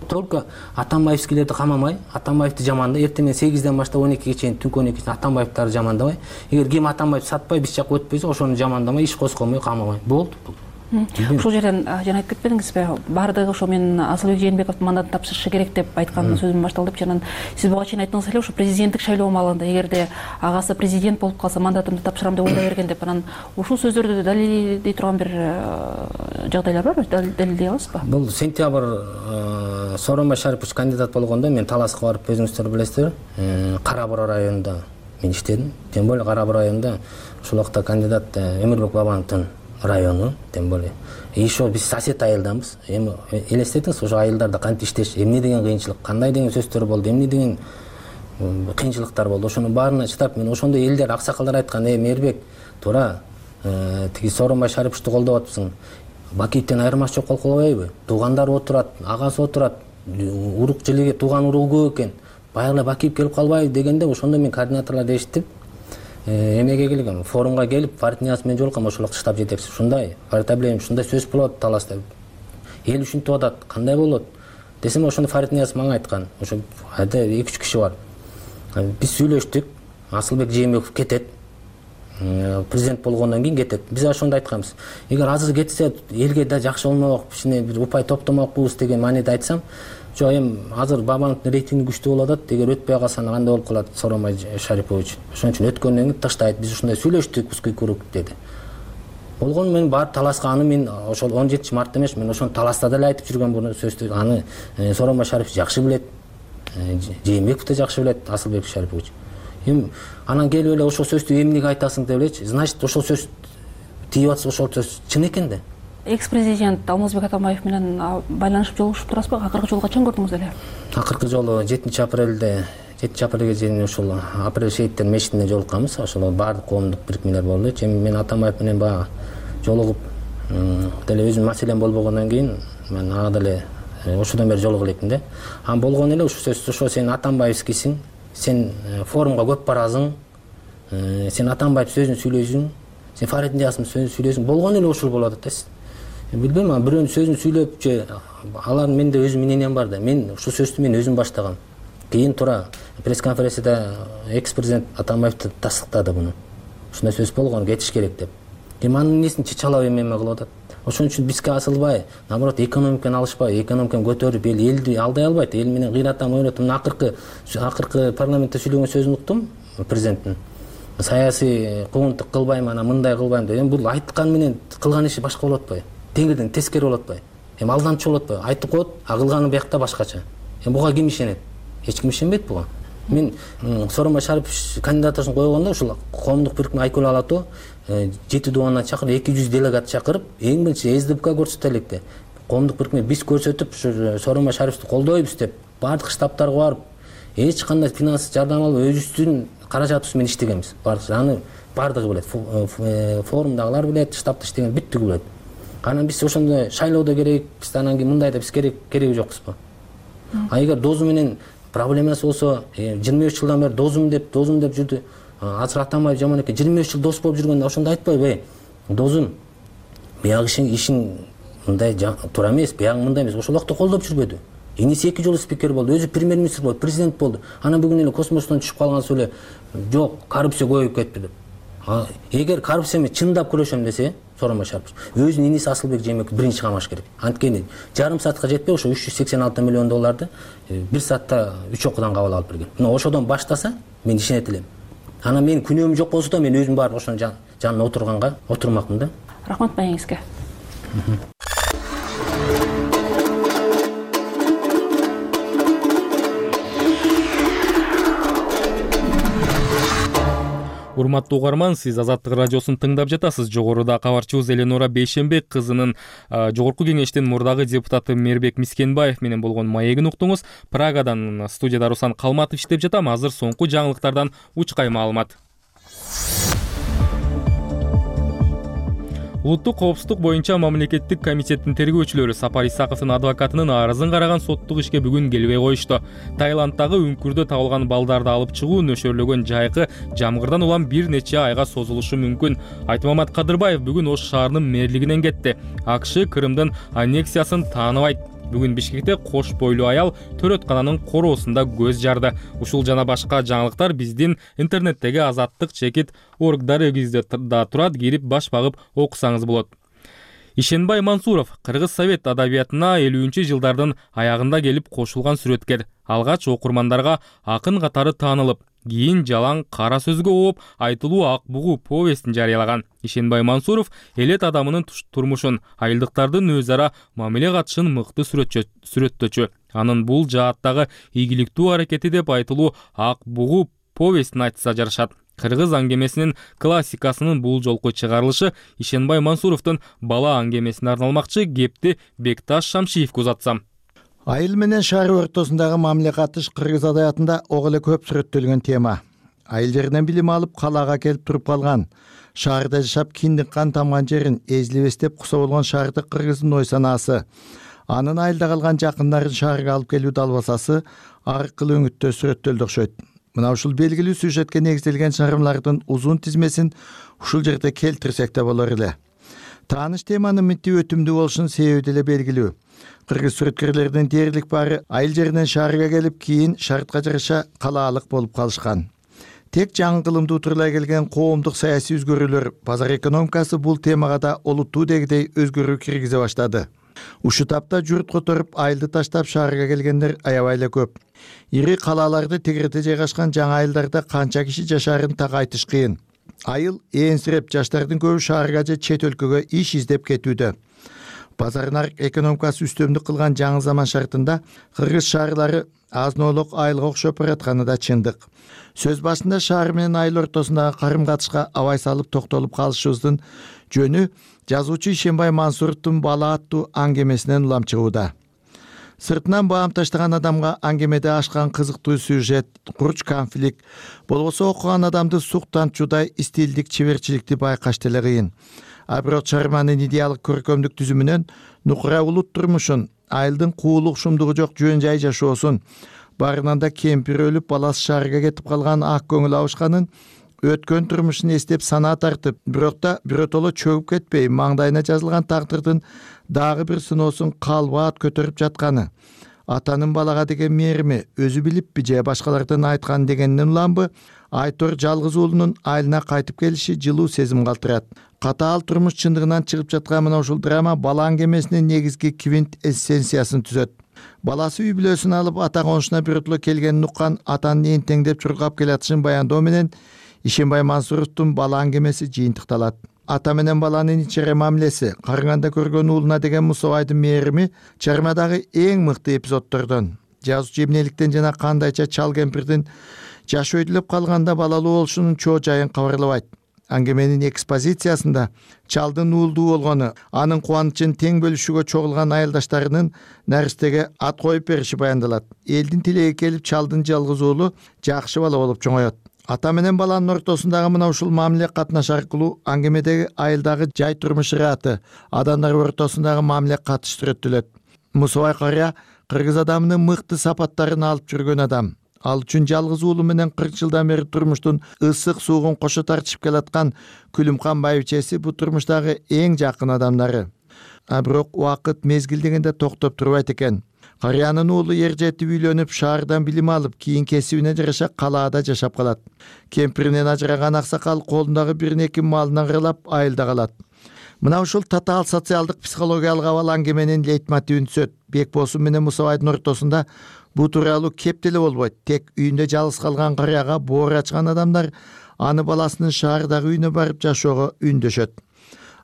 Только Атамбаевскийлерди камамай, Атамбаевди жамандап, эртең сегизден баштап он экиге чейин, түнкү он экиде Атамбаевдарды жамандабай, эгер ким Атамбаев сатпай, биз жакка өтпөйсө, ошону жамандамай, иш козгомой, камамай. Болду. Ушул жерден жана айтып кетпедиңизби? Баардыгы ошо мен Асылбек Жээнбековдун мандатын тапшырышы керек деп айткан сөзүм башталды деп. Жана сиз буга чейин айттыңыз эле, ошо президенттик шайлоо маалында эгерде агасы президент болуп калса, мандатымды тапшырам деп ойдой берген деп. Анан ушул сөздөрдү далилдей турган бир жагдайлар барбы? Далилдей аласызбы? Бул сентябрь Сооронбай Шарипович кандидат болгондо мен Таласка барып, өзүңүздөр билесиздер, Кара Бура районунда мен иштедим. Тем более Кара Бура районунда ушул убакта кандидат Өмүрбек Бабановдун району, тем более. И еще биз сосед айылданбыз. Эми элестетиңиз, ошо айылдарда кантип иштеш, эмне деген кыйынчылык, кандай деген сөздөр болду, эмне деген кыйынчылыктар болду. Ошонун баарына чыдап, мен ошондой элдер, аксакалдар айткан, "Эй, Мээрбек, туура, тиги Сооронбай Шариповичти колдоп атпсың. Бакиевден айырмасы жок болуп калбайбы? Туугандары отурат, агасы отурат, урук жилиге тууган уругу көп экен. баягы эле Бакиев келип калбайбы дегенде ошондо мен координаторлорду эшиттип эмеге келгем, форумга келип Фарид Ниязов менен жолуккам, ошол вакытта штаб жетекчиси. Ушундай Фарид Абилевич, ушундай сөз болот таласта, эл ушинтип атат, кандай болот десем, ошондо Фарид Ниязов мага айткан, ошо айда эки үч киши бар, биз сүйлөштүк, Асылбек Жээнбеков кетет, президент болгондон кийин кетет. Биз ошондо айтканбыз, эгер азыр кетсе элге да жакшы болмок, кичине бир упай топтомокпуз деген мааниде айтсам, жок, эми азыр Бабановдун рейтинги күчтүү болуп атат, эгер өтпөй калса кандай болуп калат Сооронбай Шарипович. Ошон үчүн өткөндөн кийин тыштайт, биз ушундай сүйлөштүк, узкий круг деди. Болгону мен барып таласка, аны мен ошол он жетинчи мартта эмес, мен ошону таласта деле айтып жүргөн бул сөздү. Аны Сооронбай Шарипович жакшы билет, Жээнбеков да жакшы билет, Асылбек Шарипович. Эми анан келип эле ошол сөздү эмнеге айтасың деп элечи, значит ошол сөз тийип атса ошол сөз чын экен да. Экс-президент Алмазбек Атамбаев менен байланышып жолугушуп турасызбы? Акыркы жолу качан көрдүңүз эле? Акыркы жолу жетинчи апрелде, жетинчи апрелге чейин ошол Апрель шейиттер мечитинде жолукканбыз. Ошол баардык коомдук бирикмелер болду. Эми мен Атамбаев менен баягы жолугуп деле өзүмдүн маселем болбогондон кийин мен ага деле ошодон бери жолуга электим да. Анан болгону эле ушул сөз, ошо сен Атамбаевскийсиң, сен форумга көп барасың, сен Атамбаев сөзүн сүйлөйсүң, сен Фарид Ниязовдун сөзүн сүйлөйсүң, болгону эле ушул болуп атат да. Билбейм, бирөөнүн сөзүн сүйлөп же алардын менде өзүм мнениям бар да. Мен ушул сөздү мен өзүм баштагам. Кийин тура пресс-конференцияда экс-президент Атамбаевди тастыктады буну. Ушундай сөз болгон, кетиш керек деп. Эми анын эмнесин чычалап эме кылып атат. Ошон үчүн бизге асылбай, наоборот, экономиканы алышпай, экономиканы көтөрүп, эл элди алдай албайт. Эл менен кыйратам, ойнотом. Мына акыркы акыркы парламентте сүйлөгөн сөзүн уктум президенттин. Саясий куугунтук кылбайм, анан мындай кылбайм деп. Эми бул айткан менен кылган иши башка болот атпайбы? Теңирден тескери болот атпайбы? Эми алдамчы болот атпайбы? Айтып коет, а кылганы биякта башкача. Эми буга ким ишенет? Эч ким ишенбейт буга. Мен Сооронбай Шарипович кандидатурасын койгондо ушул коомдук бирикме Айкөл Алатоо жети дубандан чакырып, эки жүз делегат чакырып, эң биринчи эс дэ пэ ка көрсөтөлүк деп. Коомдук бирикме биз көрсөтүп, ушу Сооронбай Шариповду колдойбуз деп, баардык штабтарга барып, эч кандай финанс жардам албай өзүбүздүн каражатыбыз менен иштегенбиз. Аны баардыгы билет. Форумдагылар билет, штабта иштеген бүттүгү билет. Анан биз ошондой шайлоодо керекпиз, анан кийин мындай деп биз керек кереги жокпузбу? А эгер дозу менен проблемасы болсо, жыйырма үч жылдан бери дозум деп, дозум деп жүрдү. Азыр Атамбаев жаман экен, жыйырма үч жыл дос болуп жүргөндө ошондо айтпайбы? Дозум, биягы ишиң мындай туура эмес, биягы мындай эмес. Ошол убакта колдоп жүрбөдү. Эниси эки жолу спикер болду, өзү премьер-министр болду, президент болду. Анан бүгүн эле космостон түшүп калгансыз эле, жок, коррупция көбөйүп кетти деп. Эгер коррупция менен чындап күрөшөм десе, Сооронбай Шарипович өзүнүн иниси Асылбек Жээнбеков биринчи камаш керек. Анткени жарым саатка жетпей ошо үч жүз сексен алты миллион долларды бир саатта үч окуудан кабыл алып берген. Мына ошодон баштаса мен ишенет элем. Анан менин күнөөм жок болсо да мен өзүм барып ошонун жанына отурганга отурмакмын да. Рахмат маегиңизге. Урматтуу угарман, сиз Азаттык радиосун тыңдап жатасыз. Жогоруда кабарчыбыз Эленора Бейшенбек кызынын жогорку кеңештин мурдагы депутаты Мээрбек Мискенбаев менен болгон маегин уктуңуз. Прагадан студияда Руслан Калматов иштеп жатам. Азыр соңку жаңылыктардан учкай маалымат. Улуттук коопсуздук боюнча мамлекеттик комитеттин тергөөчүлөрү Сапар Исаковдун адвокатынын арызын караган соттук ишке бүгүн келбей коюшту. Таиланддагы үңкүрдө табылган балдарды алып чыгуу нөшөрлөгөн жайкы жамгырдан улам бир нече айга созулушу мүмкүн. Айтмамат Кадырбаев бүгүн Ош шаарынын мэрлигинен кетти. АКШ Крымдын аннексиясын тааныбайт. Бүгүн Бишкекте кош бойлуу аял төрөткананын короосунда көз жарды. Ушул жана башка жаңылыктар биздин интернеттеги Азаттык чекит орг дарегибизде да турат, кирип баш багып окусаңыз болот. Ишенбай Мансуров Кыргыз совет адабиятына элүүнчү жылдардын аягында келип кошулган сүрөткер. Алгач окурмандарга акын катары таанылып, кийин жалаң кара сөзгө ооп айтылуу Ак бугу повестин жарыялаган. Ишенбай Мансуров элет адамынын турмушун, айылдыктардын өз ара мамиле катышын мыкты сүрөттөчү. Анын бул жааттагы ийгиликтүү аракети деп айтылуу Ак бугу повестин айтса жарашат. Кыргыз аңгемесинин классикасынын бул жолку чыгарылышы Ишенбай Мансуровдун бала аңгемесине арналмакчы. Кепти Бекташ Шамшиевге узатсам. Айыл менен шаар ортосундагы мамиле катыш кыргыз адабиятында ого эле көп сүрөттөлгөн тема. Айыл жеринен билим алып калаага келип туруп калган, шаарда жашап киндик кан тамган жерин эзилебес деп куса болгон шаардык кыргыздын ой санаасы, анын айылда калган жакындарын шаарга алып келүү далбасасы аркылуу өңүттө сүрөттөлдү окшойт. Мына ушул белгилүү сюжетке негизделген чыгармалардын узун тизмесин ушул жерде келтирсек да болор эле. Тааныш теманын мынтип өтүмдүү болушунун себеби деле белгилүү. Кыргыз сүрөткерлердин дээрлик баары айыл жеринен шаарга келип, кийин шартка жараша калаалык болуп калышкан. Тек жаңы кылымды утурлай келген коомдук саясий өзгөрүүлөр, базар экономикасы бул темага да олуттуу дегидей өзгөрүү киргизе баштады. Ушу тапта журт которуп, айылды таштап шаарга келгендер аябай эле көп. Ири калааларды тегерете жайгашкан жаңы айылдарда канча киши жашаарын так айтыш кыйын. Айыл ээнсиреп, жаштардын көбү шаарга же чет өлкөгө иш издеп кетүүдө. Базар нарык экономикасы үстөмдүк кылган жаңы заман шартында кыргыз шаарлары азын-оолук айылга окшоп баратканы да чындык. Сөз башында шаар менен айыл ортосундагы карым-катышка абай салып токтолуп калышыбыздын жөнү жазуучу Ишенбай Мансуровдун Бала аттуу аңгемесинен улам чыгууда. Сыртынан баам таштаган адамга аңгемеде ашкан кызыктуу сюжет, курч конфликт, болбосо окуган адамды суктанчуудай стилдик чеберчиликти байкаш деле кыйын. А бирок чыгарманын идеалдык көркөмдүк түзүмүнөн нукура улут турмушун, айылдын куулук шумдугу жок жөн жай жашоосун, барынан да кемпир өлүп, баласы шаарга кетип калган ак көңүл абышканын, өткөн турмушун эстеп санаа тартып, бирок да биротоло чөгүп кетпей, маңдайына жазылган тагдырдын дагы бир сыноосун калбаат көтөрүп жатканы, атанын балага деген мээрими өзү билиппи же башкалардан айткан дегенден уламбы, Айтор жалгыз уулунун айылына кайтып келиши жылуу сезим калтырат. Катаал турмуш чындыгынан чыгып жаткан мына ушул драма бала аңгемесинин негизги квинт эссенциясын түзөт. Баласы үй бүлөсүн алып ата конушуна биротоло келгенин уккан атанын энтеңдеп чуркап келатышын баяндоо менен Ишенбай Мансуровдун Бала аңгемеси жыйынтыкталат. Ата менен баланын ичере мамилеси, карыганда көргөн уулуна деген Мусабайдын мээрими чыгармадагы эң мыкты эпизоддордон. Жазуучу эмнеликтен жана кандайча чал кемпирдин жаш өйдүлөп калганда балалуу болушунун чоо жайын кабарлабайт. Аңгеменин экспозициясында чалдын уулдуу болгону, анын кубанычын тең бөлүшүүгө чогулган айылдаштарынын наристеге ат коюп бериши баяндалат. Элдин тилеги келип, чалдын жалгыз уулу жакшы бала болуп чоңоет. Ата менен баланын ортосундагы мына ушул мамиле катнаш аркылуу аңгемедеги айылдагы жай турмуш ыраты, адамдар ортосундагы мамиле катыш сүрөттөлөт. Мусабай карыя кыргыз адамынын мыкты сапаттарын алып жүргөн адам. Ал үчүн жалгыз уулу менен кырк жылдан бери турмуштун ысык суугун кошо тартышып келаткан Күлүмкан байбичеси бу турмуштагы эң жакын адамдары. А бирок убакыт мезгил дегенде токтоп турбайт экен. Карыянын уулу ер жетип үйлөнүп, шаардан билим алып, кийин кесибине жараша калаада жашап калат. Кемпиринен ажыраган аксакал колундагы бир-эки малынан кырылап айылда калат. Мына ушул татаал социалдык психологиялык абал аңгеменин лейтмотивин түзөт. Бекбосун менен Мусабайдын ортосунда бу тууралуу кеп деле болбойт. Тек үйүндө жалгыз калган карыяга боор ачкан адамдар аны баласынын шаардагы үйүнө барып жашоого үндөшөт.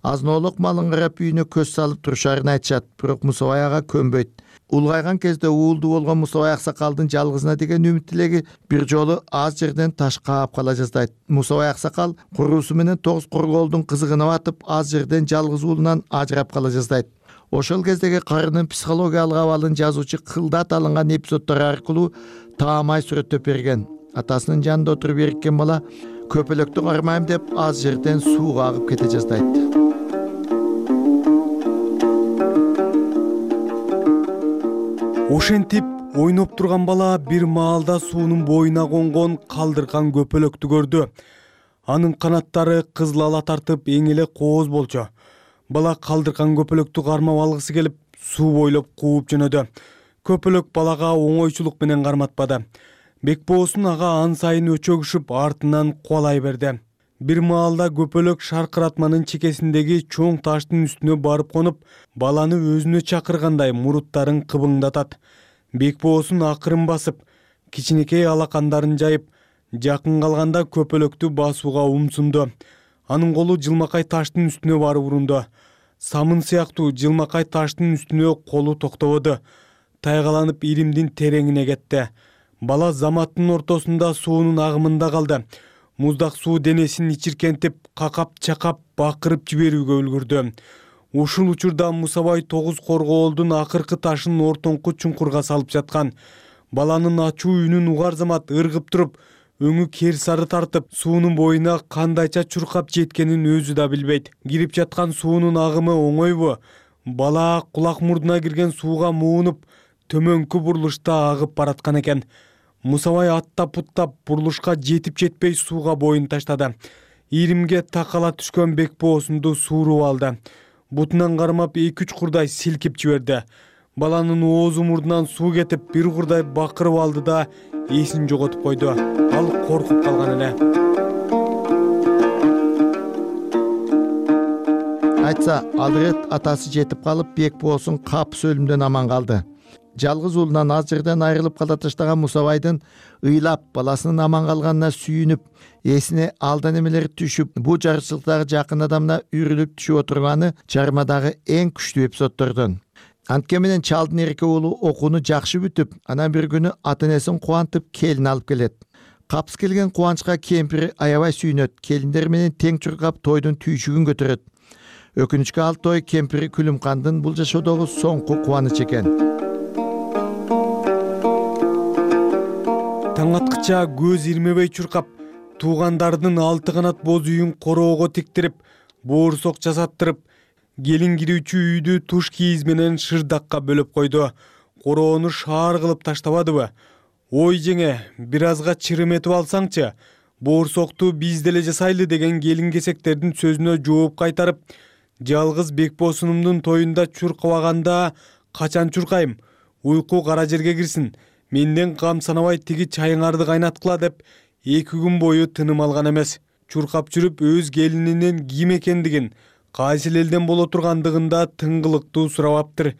Азын-оолук малын карап үйүнө көз салып турушарын айтышат, бирок Мусабай ага көнбөйт. Улгайган кезде уулдуу болгон Мусабай аксакалдын жалгызына деген үмүт тилеги бир жолу аз жерден таш каап кала жаздайт. Мусабай аксакал куруусу менен тогуз корголдун кызыгына батып, аз жерден жалгыз уулунан ажырап кала жаздайт. Ошол кездеги карынын психологиялык абалын жазуучу кылдат алынган эпизоддор аркылуу таамай сүрөттөп берген. Атасынын жанында отуруп эриккен бала көпөлөктү кармайм деп аз жерден сууга агып кете жаздайт. Ошентип ойноп турган бала бир маалда суунун боюна конгон калдырган көпөлөктү көрдү. Анын канаттары кызыл ала тартып эң эле кооз болчу. Бала калдырган көпөлөктү кармап алгысы келип, суу бойлоп кууп жөнөдү. Көпөлөк балага оңойчулук менен карматпады. Бекбоосун ага ан сайын өчөгүшүп артынан кубалай берди. Бир маалда көпөлөк шаркыратманын чекесиндеги чоң таштын үстүнө барып конуп, баланы өзүнө чакыргандай муруттарын кыбыңдатат. Бекбоосун акырын басып, кичинекей алакандарын жайып, жакын калганда көпөлөктү басууга умсунду. Анын колу жылмакай таштын үстүнө барып урунду. Самын сыяктуу жылмакай таштын үстүнө колу токтободу. Тайгаланып иримдин тереңине кетти. Бала заматтын ортосунда суунун агымында калды. Муздак суу денесин ичиркентип, какап-чакап, бакырып жиберүүгө үлгүрдү. Ушул учурда Мусабай тогуз коргоолдун акыркы ташын ортоңку чуңкурга салып жаткан. Баланын ачуу үнүн угар замат ыргып туруп, өңү кер сары тартып, суунун боюна кандайча чуркап жеткенин өзү да билбейт. Кирип жаткан суунун агымы оңойбу? Бала кулак мурдуна кирген сууга муунуп, төмөнкү бурулушта агып бараткан экен. Мусабай аттап путтап бурулушка жетип жетпей сууга боюн таштады. Иримге такала түшкөн Бекбоосунду сууруп алды. Бутунан кармап эки үч курдай силкип жиберди. Баланын оозу мурдунан суу кетип, бир курдай бакырып алды да эсин жоготуп койду. Ал коркуп калган эле. Айтса, ал ирет атасы жетип калып, Бекбоосун капыс өлүмдөн аман калды. Жалгыз уулунан аз жерден айрылып кала таштаган Мусабайдын ыйлап баласынын аман калганына сүйүнүп, эсине алдан эмелери түшүп, бул жарычылыктагы жакын адамына үрүлүп түшүп отурганы чармадагы эң күчтүү эпизоддордон. Антке менен чалдын эрке уулу окууну жакшы бүтүп, анан бир күнү ата-энесин кубантып келин алып келет. Капыс келген кубанычка кемпири аябай сүйүнөт, келиндер менен тең чуркап тойдун түйшүгүн көтөрөт. Өкүнүчкө ал той кемпири Күлүмкандын бул жашоодогу соңку кубанычы экен. Таң аткыча көз ирмебей чуркап, туугандардын алты канат боз үйүн короого тиктирип, боорусок жасаттырып, келин кирүүчү үйдү туш кийиз менен шырдакка бөлөп койду. Короону шаар кылып таштабадыбы? Ой жеңе, бир азга чырым этип алсаңчы, боорусокту биз деле жасайлы деген келин кесектердин сөзүнө жооп кайтарып, жалгыз Бекбоосунумдун тоюнда чуркабаганда качан чуркайм? Уйку кара жерге кирсин. Менден кам санабай тиги чайыңарды кайнаткыла деп эки күн бою тыным алган эмес. Чуркап жүрүп өз келининин ким экендигин, кайсыл элден боло тургандыгында тыңгылыктуу сурабаптыр.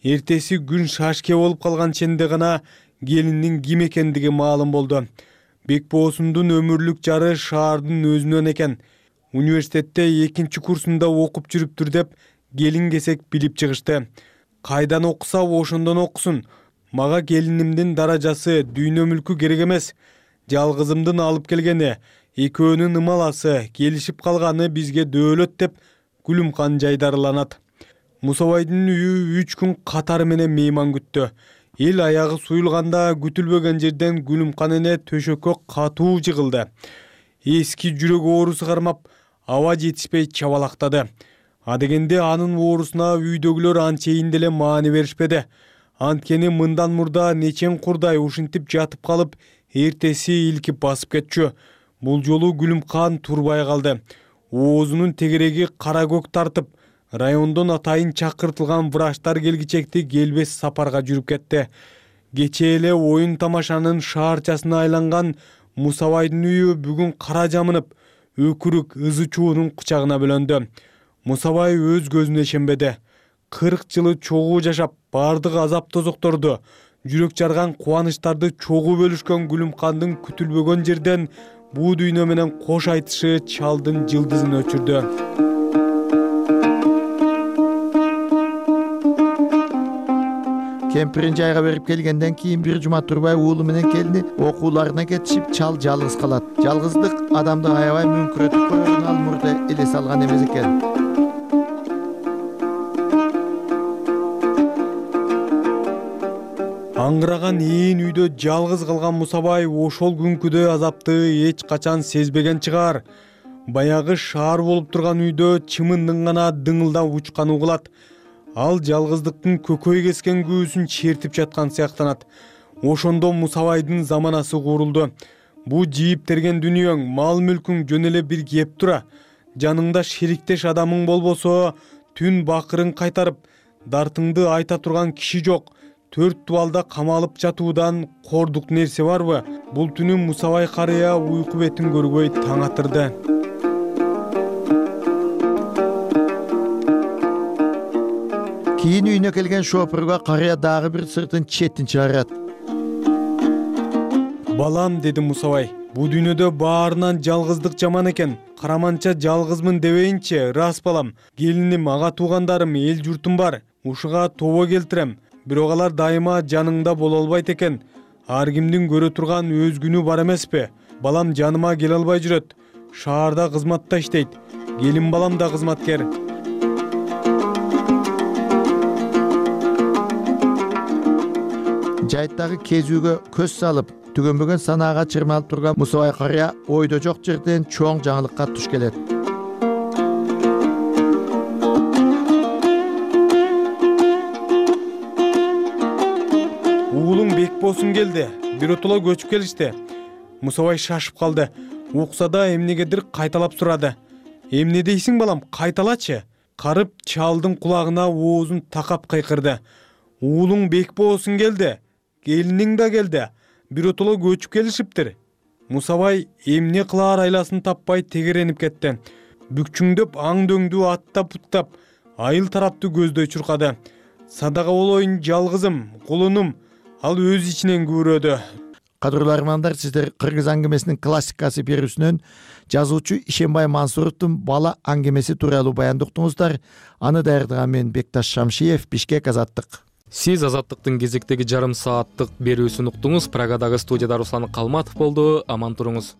Эртеси күн шашке болуп калган ченде гана келиндин ким экендиги маалым болду. Бекбоосундун өмүрлүк жары шаардын өзүнөн экен. Университетте экинчи курсунда окуп жүрүптүр деп келин кесек билип чыгышты. Кайдан окуса ошондон окусун. Мага келинимдин даражасы, дүйнө мүлкү керек эмес. Жалгызымдын алып келгени, экөөнүн ымаласы, келишип калганы бизге дөөлөт деп Күлүмкан жайдарыланат. Мусабайдын үйү үч күн катары менен мейман күттү. Эл аягы суюлганда күтүлбөгөн жерден Күлүмкан эне төшөккө катуу жыгылды. Эски жүрөк оорусу кармап, аба жетишпей чабалактады. Адегенде анын оорусуна үйдөгүлөр анчейин деле маани беришпеди. Анткени мындан мурда нечен курдай ушинтип жатып калып, эртеси илкип басып кетчү. Бул жолу Күлүмкан турбай калды. Оозунун тегереги кара көк тартып, райондон атайын чакыртылган врачтар келгичекти келбес сапарга жүрүп кетти. Кечээ эле оюн тамашанын шаарчасына айланган Мусабайдын үйү бүгүн кара жамынып, өкүрүк ызы чуунун кучагына бөлөндү. Мусабай өз көзүнө ишенбеди. кырк жылы чогуу жашап, бардык азап тозокторду, жүрөк жарган кубанычтарды чогуу бөлүшкөн Күлүмкандын күтүлбөгөн жерден буу дүйнө менен кош айтышы чалдын жылдызын өчүрдү. Кемпирин жайга берип келгенден кийин бир жума турбай уулу менен келини окууларына кетишип, чал жалгыз калат. Жалгыздык адамды аябай мүңкүрөтүп коерун ал мурда элес алган эмес экен. Аңгыраган ээн үйдө жалгыз калган Мусабай ошол күнкүдөй азапты эч качан сезбеген чыгар. Баягы шаар болуп турган үйдө чымындын гана дыңылдап учканы угулат. Ал жалгыздыктын көкөй кескен күүсүн чертип жаткан сыяктанат. Ошондо Мусабайдын заманасы курулду. Бу жийип-терген дүнүйөң, мал-мүлкүң жөн эле бир кеп тура. Жаныңда шериктеш адамың болбосо, түн бакырын кайтарып, дартыңды айта турган киши жок. Төрт дубалда камалып жатуудан кордук нерсе барбы? Бул түнү Мусабай карыя уйку бетин көрбөй таң атырды. Кийин үйүнө келген шопурга карыя дагы бир сыртын четтин чыгарат. Балам, деди Мусабай, бу дүйнөдө баарынан жалгыздык жаман экен. Караманча жалгызмын дебейинчи, рас балам. Келиним, ага туугандарым, эл журтум бар. Ушуга тобо келтирем. Бирок алар дайыма жаныңда боло албайт экен. Ар кимдин көрө турган өз күнү бар эмеспи? Балам жаныма келе албай жүрөт. Шаарда кызматта иштейт. Келин балам да кызматкер. Жайттагы кезүүгө көз салып, түгөнбөгөн санаага чырмалып турган Мусабай карыя ойдо жок жерден чоң жаңылыкка туш келет. Бекбосун келди. Биротоло көчүп келишти. Мусабай шашып калды. Укса да эмнегедир кайталап сурады. Эмне дейсиң балам, кайталачы? Карып чалдын кулагына оозун такап кыйкырды. Уулуң Бекбосун келди. Келиниң да келди. Биротоло көчүп келишиптир. Мусабай эмне кылаар айласын таппай тегеренип кетти. Бүкчүңдөп аң дөңдүү аттап буттап, айыл тарапты көздөй чуркады. Садага болоюн жалгызым, кулунум. Ал өз ичинен күбүрөдү. Кадырлуу армандар, сиздер кыргыз аңгемесинин классикасы берүүсүнөн жазуучу Ишенбай Мансуровдун бала аңгемеси тууралуу баянды уктуңуздар. Аны даярдаган мен Бекташ Шамшиев, Бишкек, Азаттык. Сиз Азаттыктын кезектеги жарым сааттык берүүсүн уктуңуз. Прагадагы студияда Руслан Калматов болду. Аман туруңуз.